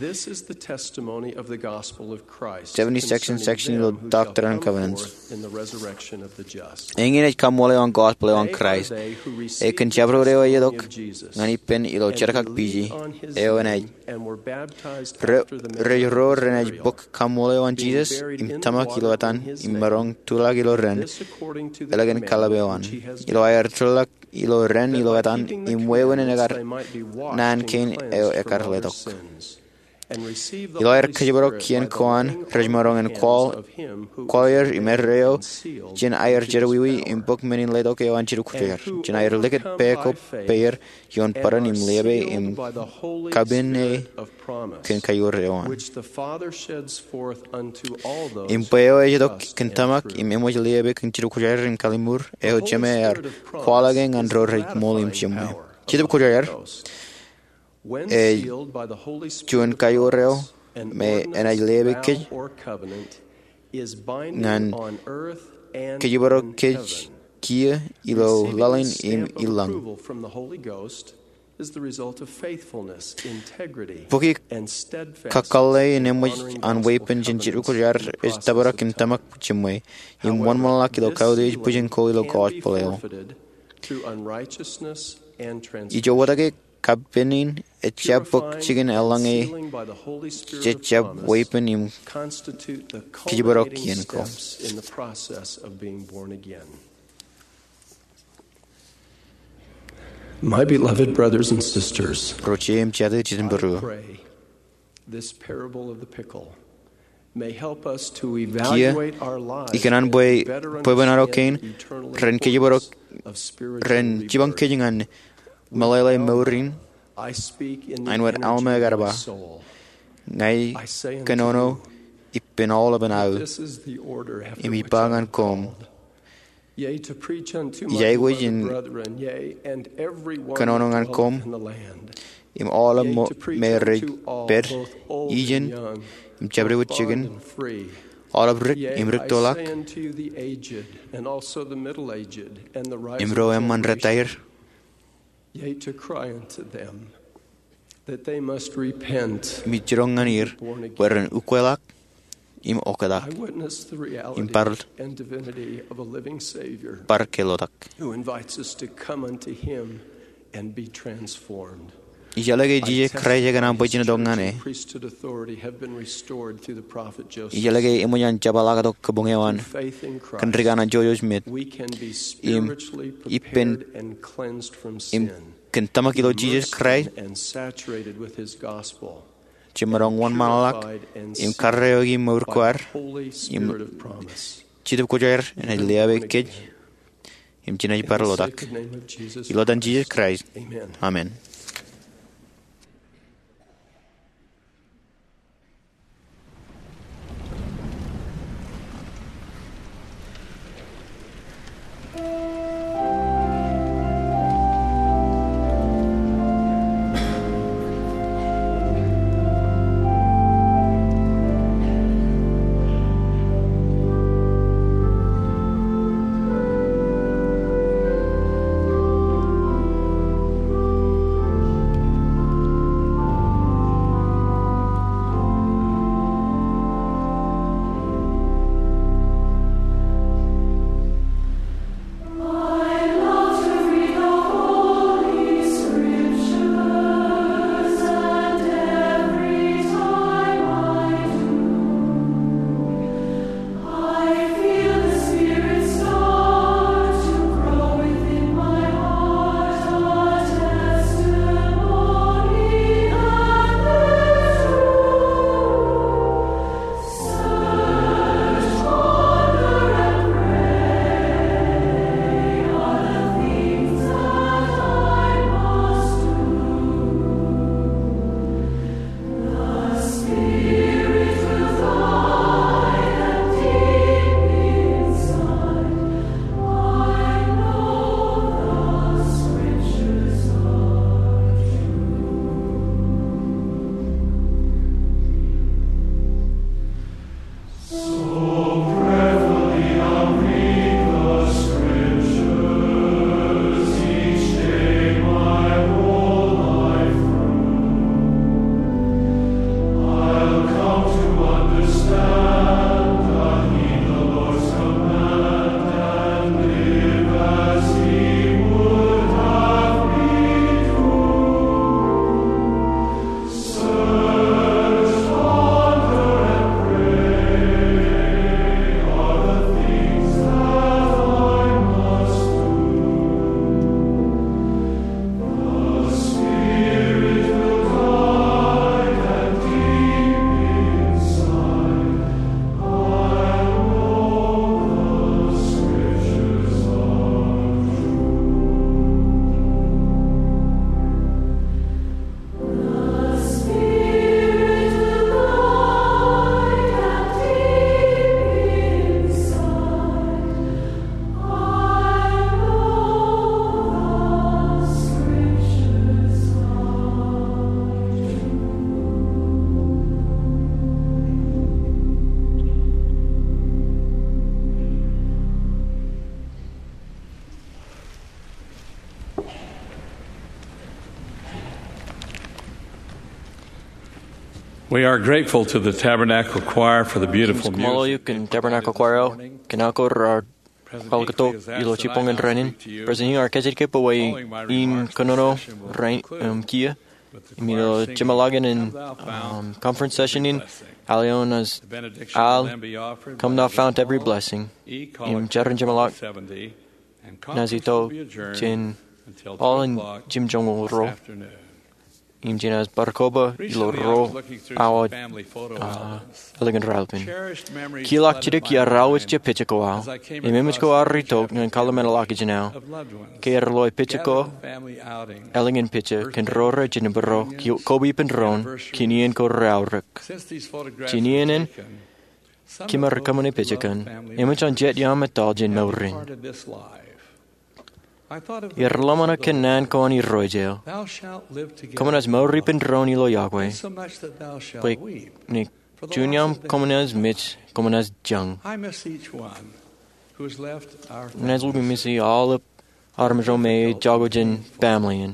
seventy-six section ilo Doctrine and Covenants. Eñin ej kaṃṃoolol eo an gospel eo an Kraist. Ej kōn jabdewōt eo ej itok ñan ippān ilo jerkakpeje eo enaaj rej ro renaaj bōk kaṃṃoolol eo an Jisōs im tōmak ilo etan im maroñ tuḷọk ilo ren ālikin kallib eo an. Ilo aer tuḷọk ilo ren ilo etan im wāween ekar naan kein eo ekar letok. Ilo aer kōjparok kien ko an rej maroñ in kwaḷ er im erreo jān aer jerọwiwi im bōk men in letok eo an Jetōb Kwōjarjar jān aer likūt pā ko pāer ioon bōran im leape im kapene kōn kaiur eo an. Im bwe eo ej itok kōn tōmak im eṃōj leape kōn Jetōb Kwōjarjar in kalliṃur eo Jemāer kwaḷọke ñan ro rej ṃool im jemwe. Jetōb Kwōjarjar ej juon kaiur eo me enaaj leape kōj ñan kōjparok kōj kiiō ilo laḷ in im ilañ. Bukwi kakkalle in eṃōj an weeppān jān Jetōb Kwōjarjar ej tōprak im tōmak jemwe im wōnṃaanḷọk ilo kautiej bwijin ko ilo gospel eo. Ijo wōtake kappān in ejjab bōk jikin eḷaññe jejjab weeppān im kōjparok kien ko. My beloved brothers and sisters, ro je im jatū jitōnbōro, this parable of the pickle may help us to evaluate our lives. Kiiō ikōṇaan bwe bwebwenato kein ren kōjparok ren jipañ kōj ñan meḷeḷe mour in. Āinwōt Alma ekar ba, ña ikōnono ippān aolepān aō im ij ba ñan koṃ, ij aikuj in kōnono ñan koṃ im aolep me rej pād, ijin im jabdewōt jikin, aolep rik im rik tōlḷọk, im ro eṃṃan retaer. Yea, to cry unto them that they must repent, im ij jiroñ ñan er bwe ren ukweḷọk im oktak im bar, bar ke ḷotak. Who invites us to come unto him and be transformed. Ij ḷōḷō ke Jisōs Kraist ekōṇaan bwe jen itok ñan e. Ij ḷōḷō ke eṃōj an jepḷaaktok kabuñ eo an kōn dik an Joseph Smith im ippān im kōn tōmak ilo Jisōs Kraist, jemaroñ wōnṃaanḷọk im karreoiki mour ko ad im Jetōb Kwōjarjar enaaj leape kōj im jenaaj bar ḷotak. Ilo etan Jisōs Kraist, amen. We are grateful to the Tabernacle Choir for the beautiful music. Kōṃṃoolol eok kōn Tabernacle Choir eo kōn aō ko raar kwaḷọk tok ilo jibboñōn rainin. President Hinckley, ear kajjitōk bwe in kōnono rainin im kiiō im ilo jeṃḷọkin in conference session in, al eo enaaj al, "Come, thou fount of every blessing," im jeran jeṃḷọk enaaj itok jān aolepen jimjuon ro im jenaaj bar koba ilo ruo awa ālikin raelepin. Kiiō ḷọk jidik iar aō wōj jet pejek ko aō im eṃōj ko aō ritok ñan kōḷmānḷọkjeṇ aō ke ear loe pejek ko ālikin pejek kōn ro rej jitōnbōro koba ippān doon kōn iien ko reaorōk. Jān iien in, kōm ar kōṃṃane pejek in, eṃōj an jet iaam etal jān mour in. Iar ḷōmṇak kōn naan ko an Irooj eo, "Kōm naaj mour ippān doon ilo yokwe, bwe ñe juon iaam kōm naaj mej, kōm naaj jañ." Inaaj lukkuun miss e aolep armej ro me ej jako jān family in.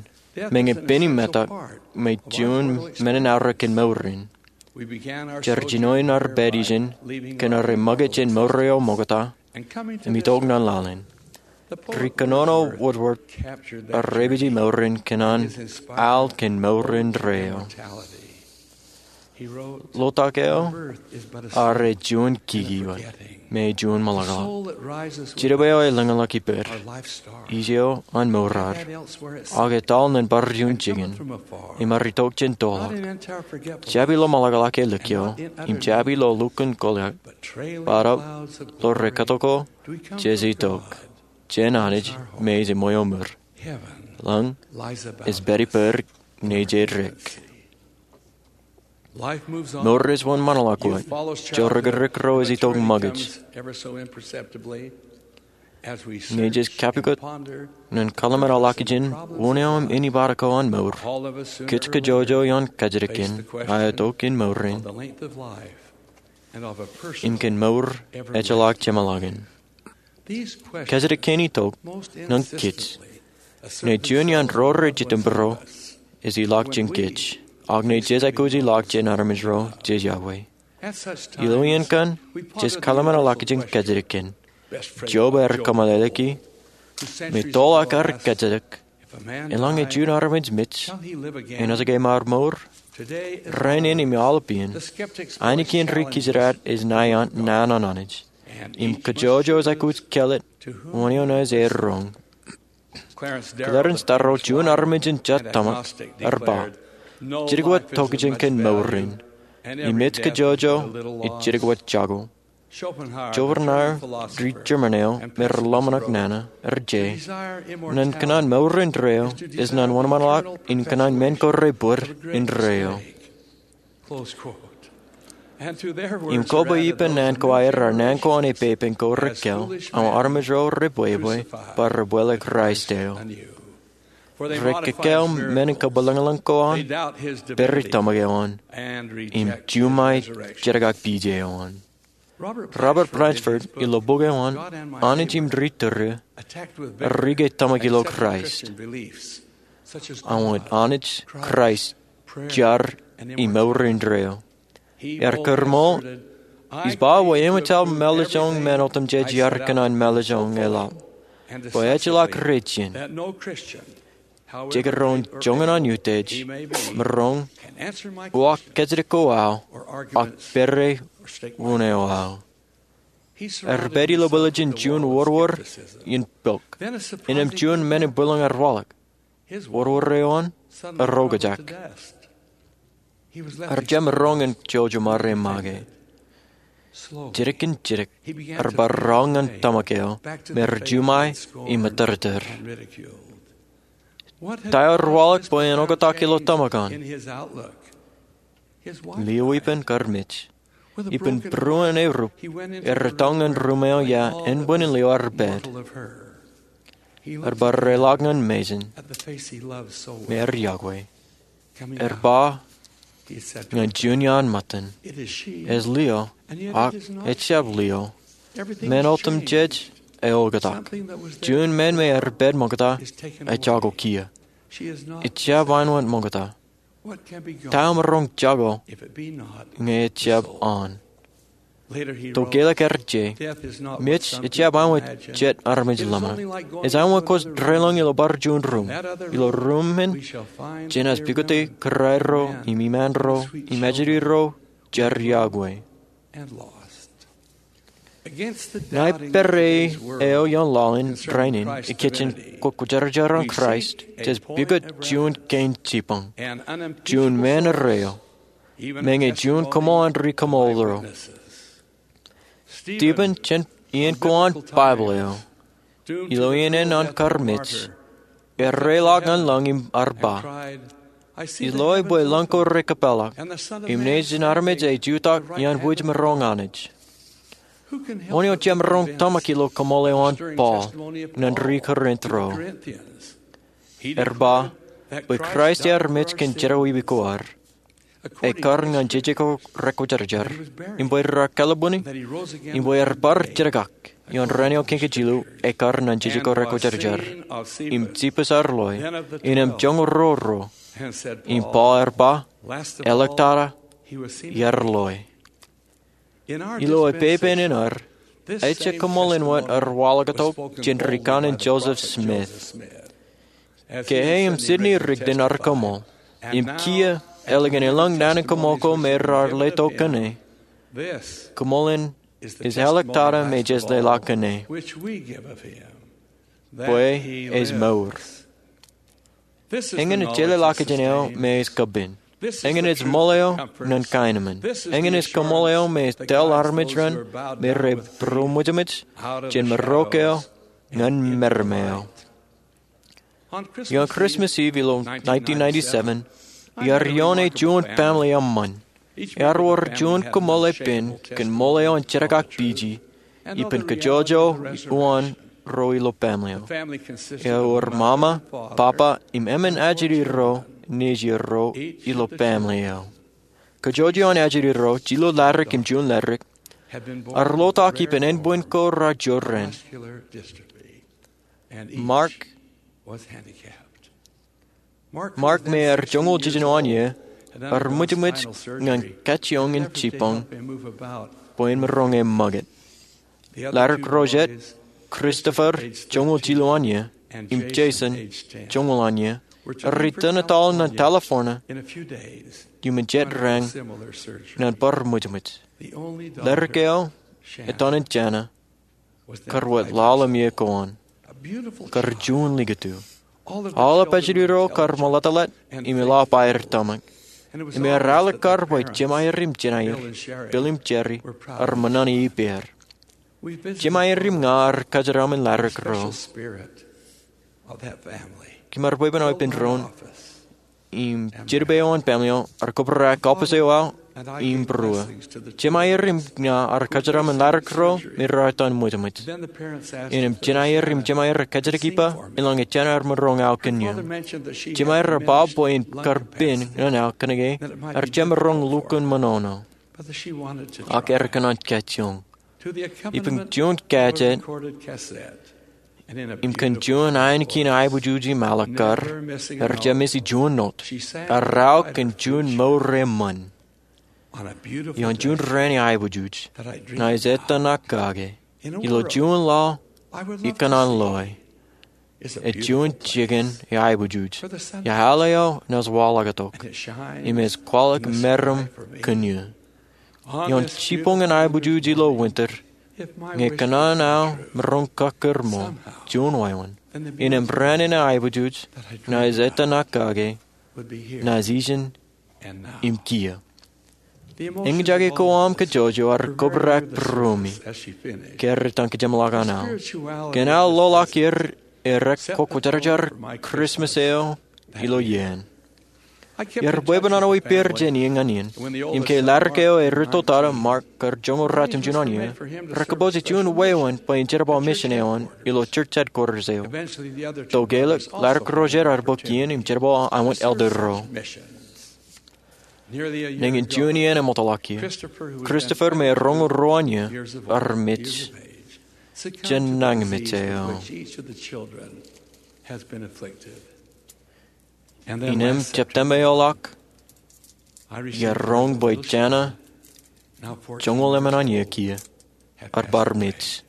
Meñe pen im metak, im juon men in aorōk kōn mour in, jar jinoin ad pād ijin kōn ad ṃōkaj jān mour eo ṃokta im itok ñan laḷ in. Ri kōnono wōtwōt ar repeje mour in kōn an al kōn mour indeeo. Lotak eo ear juon kiki wōt, me juon ṃōḷaḷḷọk. Jitōb eo elōñḷọk ippād, ij eo an mour ad, ak etal ñan bar juon jikin im ear itok jān toḷọk. Jab ilo ṃōḷaḷḷọk e likio im jab ilo lukkuun koḷak, bōtaab ilo rekatok ko jej itok jān Anij me ej eṃwiaoṃir. Lañ ej pād ippād ñe jej dik. Mour ej wōnṃaanḷọk wōt. Jorrāān ro ej itok ṃōkaj. Ñe jej kapukot ñan kōḷmānḷọkjeṇ wōn eo im ānbwinniō ko an mour, kōj kajjojo ioon kajjitōk kein aō itok in mour in im kōn mour ejjeḷọk jeṃḷọkin. Kajjitōk kein itok ñan kōj ñe juon iaan ro rej jitōnbōro ej ilọk jān kōj, ak ñe jej aikuj ilọk jān armej ro jej yokwe. Ilo iien kaṇ, jej kōḷmānḷọkjeṇ kajjitōk kein. Job ear kōmeḷeḷeiki, me toḷọk ear kajjitōk, "Eḷaññe juon armej mej, enaaj ke mar mour?" Rainin im aolep iien, ainikien ri-kijjitōk ej naan an Anij im kajjojo ej aikuj kāālōt wōn eo enaaj roñ. Clarence Taro, juon armej in jet tōmak, ear ba, "Jidik wōt tokjān kōn mour in, im ej kajjojo ej jidik wōt jako." Schopenhauer, ri-German eo me rej ḷōmṇak nana, ear je, "Naan kōṇaan mour indeeo ej naan wōnṃaanḷọk in kōṇaan men ko rebōd indeeo." Im koba ippān naan ko aer, naan ko an epepen ko rekāāl, aṃ armej ro rebwebwe, bwe rej bōk Kraist eo. Rekāāl men in kabwilōñlōñ ko an, pād ri tōmak eo an, im juṃae jedik ak pije eo an. Robert Blatchford ilo bok eo an Anij im Ri Tūriō, ear riik tōmak ilo Kraist. Aṃ wōt Anij, Kraist, jar, im mour indeeo. Ear kūrṃool, ij ba bwe eṃōj aō mālōtlōñ men otemjej iar kōṇaan mālōtlōñ e laḷ, bwe ejjeḷọk rej jien, jekdọọn joñan an utiej, maroñ uwaak kajjitōk ko aō, ak pād wōn eo aō. Ear pād ilo bwilōñ jān juon wōrwōr in pok, innām juon men in bwilōñ ear waḷọk. Wōrwōr eo an, ear okjak. Ear jab maroñ in jouj im armej make. Jidik in jidik, ear bar roñ ñan tōmak eo, me rej juṃae im ettōrtōr. Ta eo ear waḷọk bwe en oktak ilo tōmak an? Lio ippān kar mej. Ippān būruon erup, ear etaṃ ñan ruṃ eo ia ānbwinnin lio ear pād. Ear bar reḷọk ñan mejān, me ear yokwe. Ear ba ñan juon iaan ṃōttan, "Ej lio, ak ejjab lio. Men otemjej eoktak. Juon men me ear pād ṃokta ejako kiiō. Ejjab āinwōt ṃokta." Ta emaroñ jako ñe ejjab an? Tokālik ear je, mej ejjab aṃ wōt jet armej ḷōmṇak. Ej aṃ wōt kōj deḷọñ ilo bar juon ruum. Ilo ruum in, jenaaj pukot kōrā ro im iṃaan ro im ajri ro jar yokwe. Ña ij pād ie eo ioon laḷ in rainin ikijjien kwōkwōjarjar an Kraist jej pukot juon kein jibboñ, juon mān erreo, meñe juon koṃṃool an ri koṃṃool ro. Stephen, jān iien ko an Baibōḷ eo, ilo iien eo an kar mej, erreḷọk ñan lañ im ear ba, "Ij loe bwe lañ ko rekōpeḷḷọk, im Nejin armej ej jutak iaan wōj maroñ Anij." Wōn eo jemaroñ tōmak ilo koṃṃool eo an Paul ñan ri Korint ro? Ear ba bwe Kraist ear mej kōn jerọwiwi ko ad, ekkar ñan jeje ko rekwōjarjar, im bwe raar kalabwini, im bwe ear bar jenkak ioon raan eo kōnke jilu, ekkar ñan jeje ko rekwōjarjar, im jipus ear loe, innem joñoul ruo ruo, im Paul ear ba, "Āliktata, iar loe." Ilo epepen in ad, ejja koṃṃool in wōt ear waḷọktok jān ri kanaan Joseph Smith. Ke e im Sidney Rigdon ear koṃṃool, im kiiō eḷap ñan elōñ naan in koṃṃool ko me raar letok kōn e, koṃṃool in ej āliktata me jej leḷọk kōn e, bwe ej mour. Eñin ej jeḷā ḷọk jān eo me ej kapen. Eñin ej ṃool eo ñan kaenōṃṃan. Eñin ej koṃṃool eo me ej tōl armej ren me rej būroṃōjṃōj jān marok eo ñan meram eo. Ioon Christmas Eve ilo nineteen ninety-seven, iar ioone juon family eṃṃan. Ear wōr juon koṃṃool epen kōn ṃool eo an jenkak piji, ippān kōjojō uwaan ro ilo family eo. Ewōr mama, papa, im emān ajri ro nejierro ilo family eo. Kōjojō an ajri ro, jilu ladik im juon ladik, ear lotak ippān ānbwin ko raar jorrāān. Mark, Mark me ear joñoul jiljino an iiō, ear ṃwijṃwij ñan kajjioñ in jibboñ bwe en maroñ e ṃakūt. Ladik ro jet, Christopher, joñoul jilu an iiō, im Jason, joñoul an iiō, ear return etal ñan California iuṃwin jet raan ñan bar ṃwijṃwij. Ladik eo etan in Jana kar wōt lale im iiō ko an. Kar juon likūt eō. Aolep ajri ro kar ṃōḷeḷḷe im eḷap aer tōmak. Im ear ālikkar bwe jemāer im jenaer, Bill im Jerry, ear ṃōṇōṇō ippāer. Jemāer im ña ar kōjeraṃ in ladik ro. Kōm ar bwebwenato ippān doon im jidipe eo an family eo ear kōbrak kaubōse eo aō im būruō. Jemāer im ña ar kōjeraṃ in ladik ro me raar etan ṃwijṃwij. Innām jenaer im jemāer rej kōjjitōk ippa, elōñ ejān ear maroñ aō kōn eō. Jemāer ear ba bwe en kar pen ñan aō kōnke ear jab maroñ lukkuun ṃōṇōṇō. Ak ear kōṇaan kajjioñ. Ippān juon kajet im kōn juon ainikien aiboojoj im alikkar, ear jab miss juon not. Ear aō kōn juon mour eṃṃan. Ioon juon raan in aiboojoj, ña ij ettōṇak kake. Ilo juon laḷ, ikōṇaan loe. Ej juon jikin in aiboojoj. Iọkwe eo naaj waḷọktok. Im ej kwaḷọk meram kōn eō. Ioon jibboñ in aiboojoj ilo winter, ñe kōṇaan aō maroñ kọkkure ṃool juon wāween, innām raan in aiboojoj ña ij ettōṇak kake, ña ij ijin im kiiō. Eñjake ko aṃ kōjojō ear kōbrak būruemi ke ear etan kōjeṃḷọk an aḷ. Kōn aō loḷọk er, erek kwōjarjar Christmas eo ilo iien. Iar bwebwenato ippāer jān iien ñan iien. Im ke ladik eo erūtto tata Mark kar joñoul ratimjuon an iiō, rekabōse juon wāween bwe en jerbal mission eo an ilo church headquarters eo. Tokālik, ladik ro jet ear bōk iien im jerbal aṃ wōt elder ro. Nañin juon iien eṃootḷọk ie, Christopher me roñoul ruo an iiō ear mej jān nañinmej eo. Innām September eoḷọk, Iar roñ bwe Jana joñoul emān an iiō kiiō ar bar mej.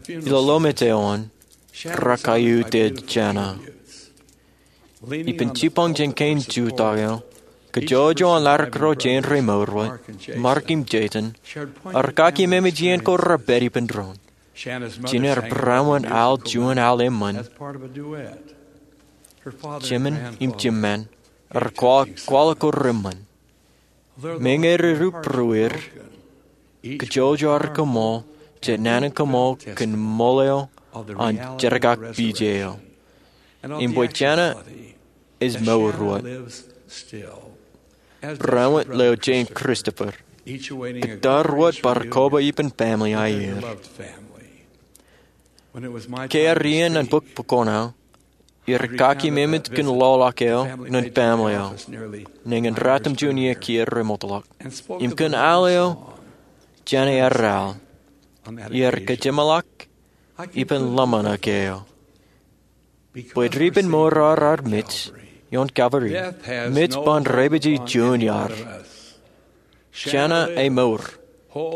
Ilo lomej eo an, rekaiutiej Jana. Ippān jibboñ jān kein jutak eo, kajjojo an ladik ro jān remour wōt, Mark im Jason, ear kaki memej iien ko repād ippān doon. Jina ear būrāwōt al juon al eṃṃan. Jemān im jemān ear kwaḷọk ko reṃṃan. Meñe rej rūpruir, kajjojo ear kaṃool jet naan in kaṃool kōn ṃool eo an jerkakpeje eo. Im bwe Jana ej mour wōt. Būrāwōt leo jān Christopher. Kōttar wōt bar koba ippān family aier. Ke ear iien an bōk pukot aō, iar kaki memej kōn lọlọk eo ñan family eo. Nañin ratimjuon iiō kiiō remootḷọk. Im kōn al eo, Jana ear al. Iar kajeṃḷọk ippān ḷōmṇak eo. Bwe rej ippān mour eo ar mej ioon Calvary, mej ban reipeje juon iar. Jana emour,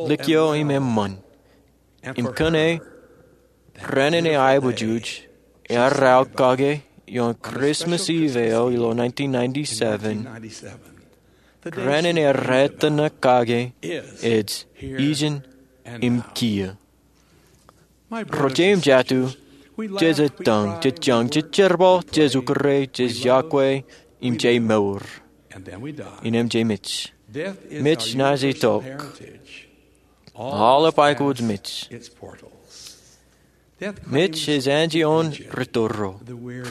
likio im eṃṃan. Im kōn e, raṇ in aiboojoj ear al kake ioon Christmas Eve eo ilo nineteen ninety-seven. Raṇ in ear ettōṇak kake ej ijin im kiiō. Ro jeiū im jatū, jej ettōñ, jej jañ, jej jerbal, jej ukure, jej yokwe, im jej mour. Innām jej mej. Mej naaj itok. Aolep aikuj mej. Mej ej anjioon rūtto ro,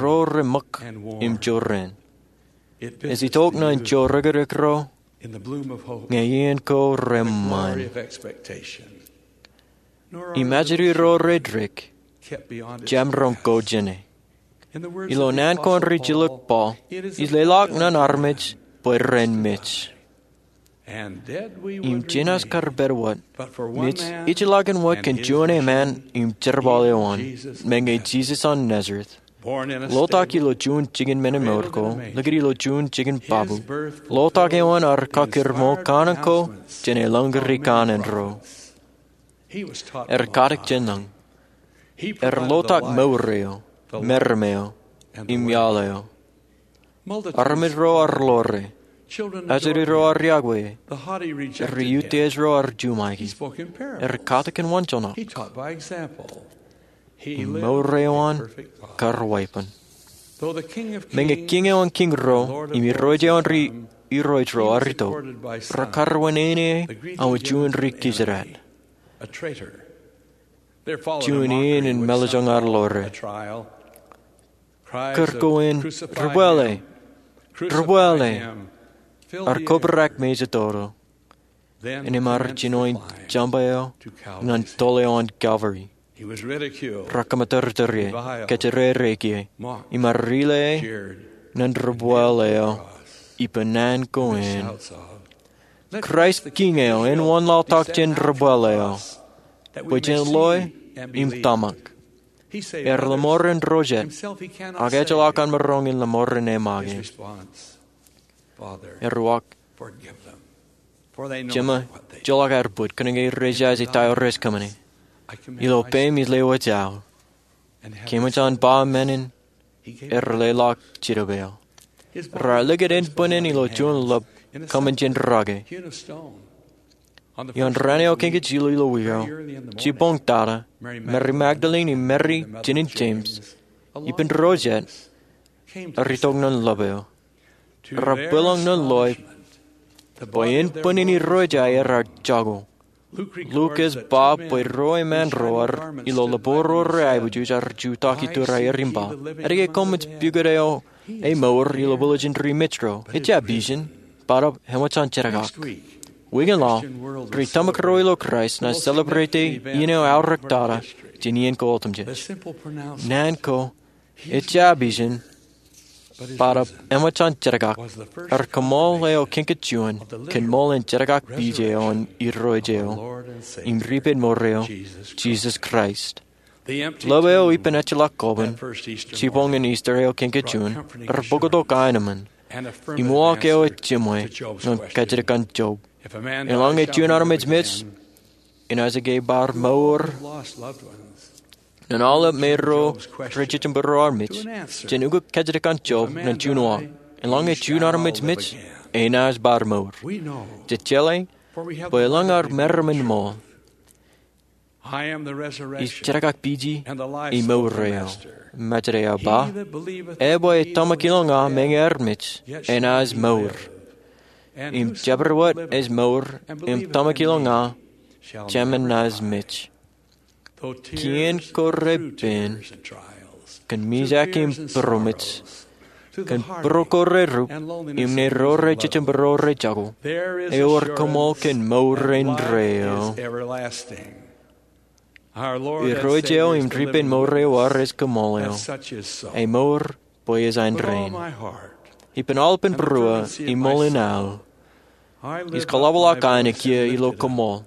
ro reṃōk im jorrāān. Ej itok ñan jorrāān ro ñe iien ko reṃṃan. Im ajri ro reddik, jemaroñ ko jāne. Ilo naan ko an rijilōk Paul, ij leḷọk ñan armej bwe ren mej. Im jenaaj kar pād wōt, mej ejjeḷọkin wōt kōn juon eṃṃan im jerbal eo an, meñe Jisōs an Nazeret. Ḷotak ilo juon jikin men in mour ko, likūt ilo juon jikin babu. Ḷotak eo an ear kakūrṃo kanaan ko jān elōñ rikanaan ro. Ear katak jān lañ. Ear ḷotak mour eo, meram eo, im iaḷ eo. Armej ro ear ḷoore. Ajri ro ear yokwe. Ri-utiej ro ear juṃaiki. Ear katak kōn wanjeḷ ṇe. Im mour eo an kar weeppān. Meñe Kiiñ eo an kiiñ ro, im Irooj eo an ri irooj ro ear itok, rekar wūnin e aō juon ri-Kōjdat. Juon iien in mālejjoñ ear ḷoore. Kūr ko in, "Debwāāle! Debwāāle!" Ear kobrak mejatoto. Innām ear jinoin jeṃba eo ñan toḷ eo an Calvary. Rekōṃatūrtūr ie, kōjjere reiki ie, im ear rile ñan debwāāl eo ippān naan ko in. Kraist Kiiñ eo, en wōnlaḷtak jān debwāāl eo, bwe jen loe im tōmak. Ear lọmọọren ro jet, ak ejjeḷọk an maroñ in lọmọọren e make. Ear uwaak, "Jema, joḷọk aer put, kōnke rej jaje ta eo rej kōṃṃane. Ilo peiṃ ij lewōj aō." Ke eṃōj an ba men in, ear leḷọk Jidōb eo. Raar likūt ānbwinnin ilo juon ḷap kōṃṃan jān rake. Ioon raan eo kōnke jilu ilo wiik eo, jibboñ tata, Mary Magdalene im Mary, jinen James, ippān ro jet, ear itok ñan ḷap eo. Raar bwilōñ ñan loe bwe ānbwinnin Irooj aer ear jako. Luk ej ba bwe ro eṃṃaan ro ear ilo ḷapḷọk ro rej aiboojoj ear jutak ituur aer im ba, "Etke koṃij pukot eo emour ilo bōlōjin ri-mej ro? Ejjab ijin, bōtab eṃōj an jerakak." Wiik in laḷ, ri-tōmak ro ilo Kraist naaj celebrate iien eo aorōk tata jān iien ko otemjej. Naan ko "Ejjab ijin, bōtab eṃōj an jerakak" ear kaṃool eo kōnke juon kōn ṃool in jerakakpeje eo an Irooj eo im Ripeid mour eo, Jisōs Kraist. Ḷap eo ippān ejjeḷọk koban, jibboñ in Easter eo kōnke juon, ear bōktok aenōṃṃan. im uwaak eo ej jiṃwe ñan kajjitōk an Job. Eḷaññe juon armej mej, enaaj ke bar mour. Ñan aolep me ro rej jejembro armej, jen ukōk kajjitōk an Job ñan juon uwaak. Eḷaññe juon armej mej, enaaj bar mour. Jej jeḷā bwe elōñ ad meram in ṃool. Ij tōmakakpeje im mour eo, Mājro eo ej ba. Eo ej tōmak ilo ña meñe armej, enaaj mour. Im jabdewōt ej mour im tōmak ilo ña, jāmin naaj mej. Kien ko repen, kōn mijak im būroṃōj, kōn būruo ko reduk, im ne ro rej jejembro rej jako, ewōr koṃṃool kōn mour indeeo. Irooj eo im ripen mour eo ej koṃṃool eo. Emour bwe ej an rein. Ippān aolepān būruō im ṃool in aō, ij kōḷapḷọk an ekiiō ilo koṃṃool.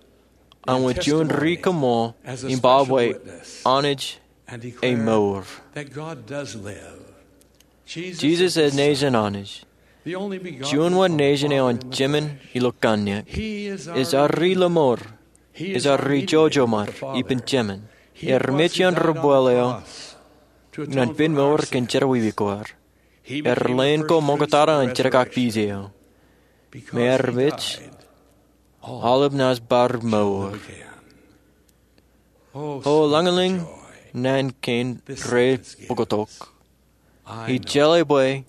Aṃ wōt juon ri koṃṃool im ba bwe Anij ej mour. Jisōs ej nejin Anij, juon wōt nejin eo an jemān ilo kanniōk. Ej ad ri lōṃour. Ej ad ri jojo ṃad ippān jemān. Ear mej iaan ri bwil eo ñan pen mour kōn jerọwiwi ko ad. Ear leen ko ṃoktata an tōmakakpeje eo. Im ear mej, aolep naaj bar mour. O lañlōñ naan kein rej bōktok. Ij jeḷā bwe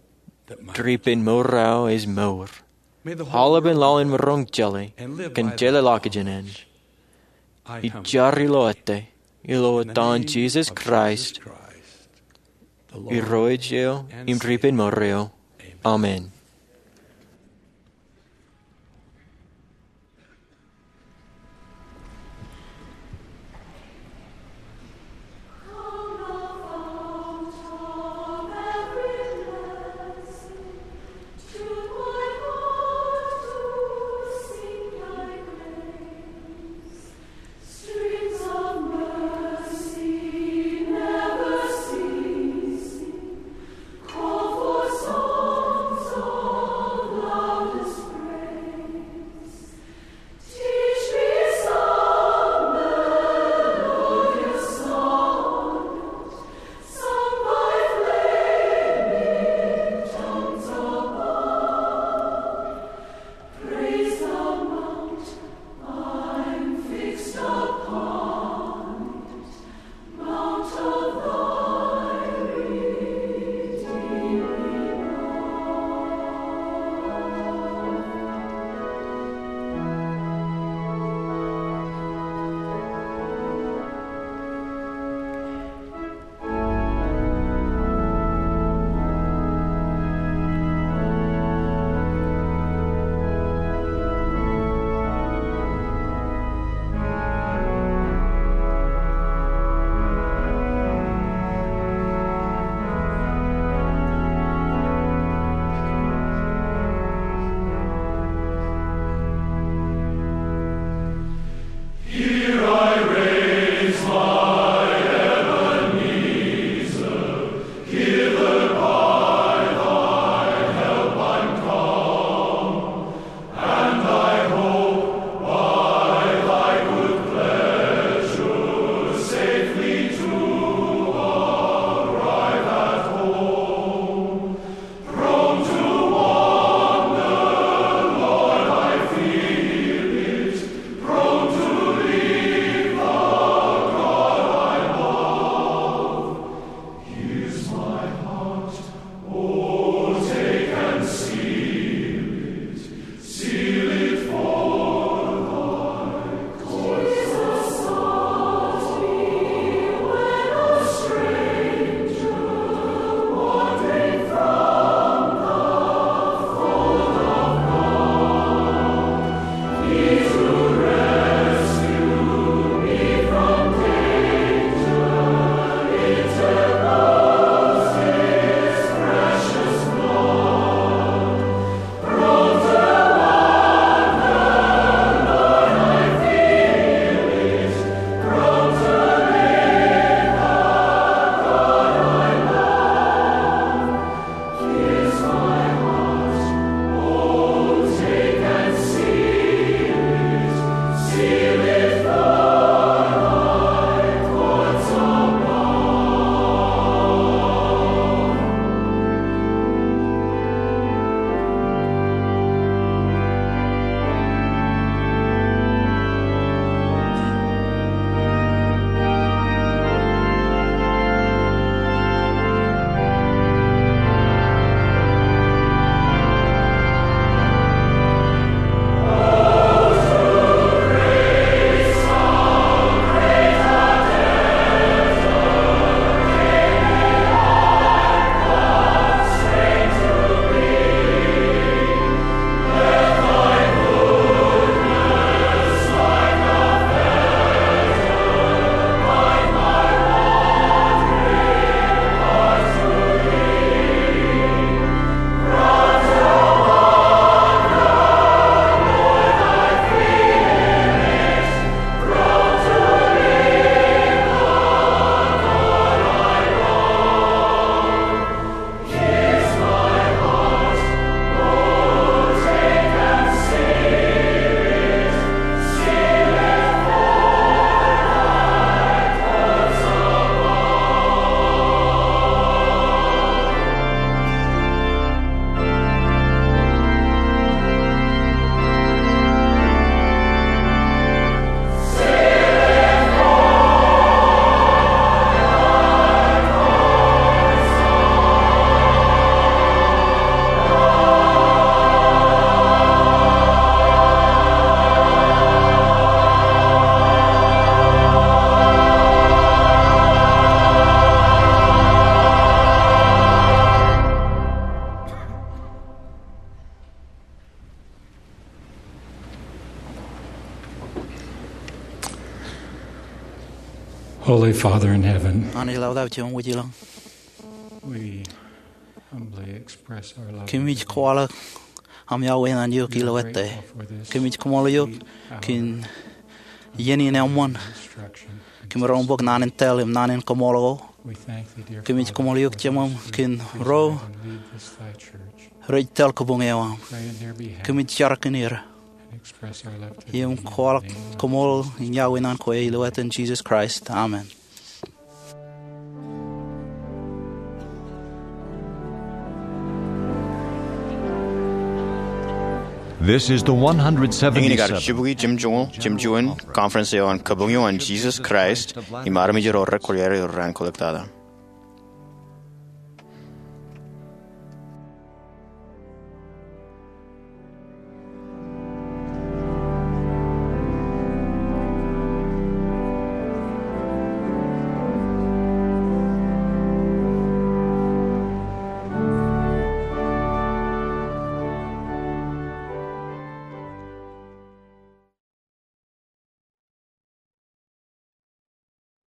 ripen mour eo ej mour. Aolepān laḷ in maroñ jeḷā kōn jeḷā ḷọk jān en. Ij jar ilo ettā, ilo etan Jisōs Kraist, Irooj eo im ripen mour eo. Amen. Holy Father in heaven, Anij Laḷ eo ej wōj ilañ, we humbly express our love and kōmij gratitude. Kwaḷọk aṃ iọkwe ñan eok ilo ettā. We are grateful for this kōmij koṃṃool eok sweet hour kōn iien in eṃṃan. Instruction. Kōmij roñ bōk naan in tōl im naan in koṃṃool ko. We thank thee, dear Father, for those who have chosen to serve and lead this thy church. Kōmij roñ bōk ro rej tōl kabuñ eo aṃ. Pray in their behalf. Kōmij jar kōn er. Im kwaḷọk koṃṃool im iọkwe ñan kwe ilo etan Jesus Christ. Amen. This is the one hundred seventy-seven. Eñin kar jibukwi jimjuon, jimjuon conference eo an Kabuñ eo an Jesus Christ im armej ro rekwōjarjar ilo raan kōllektata.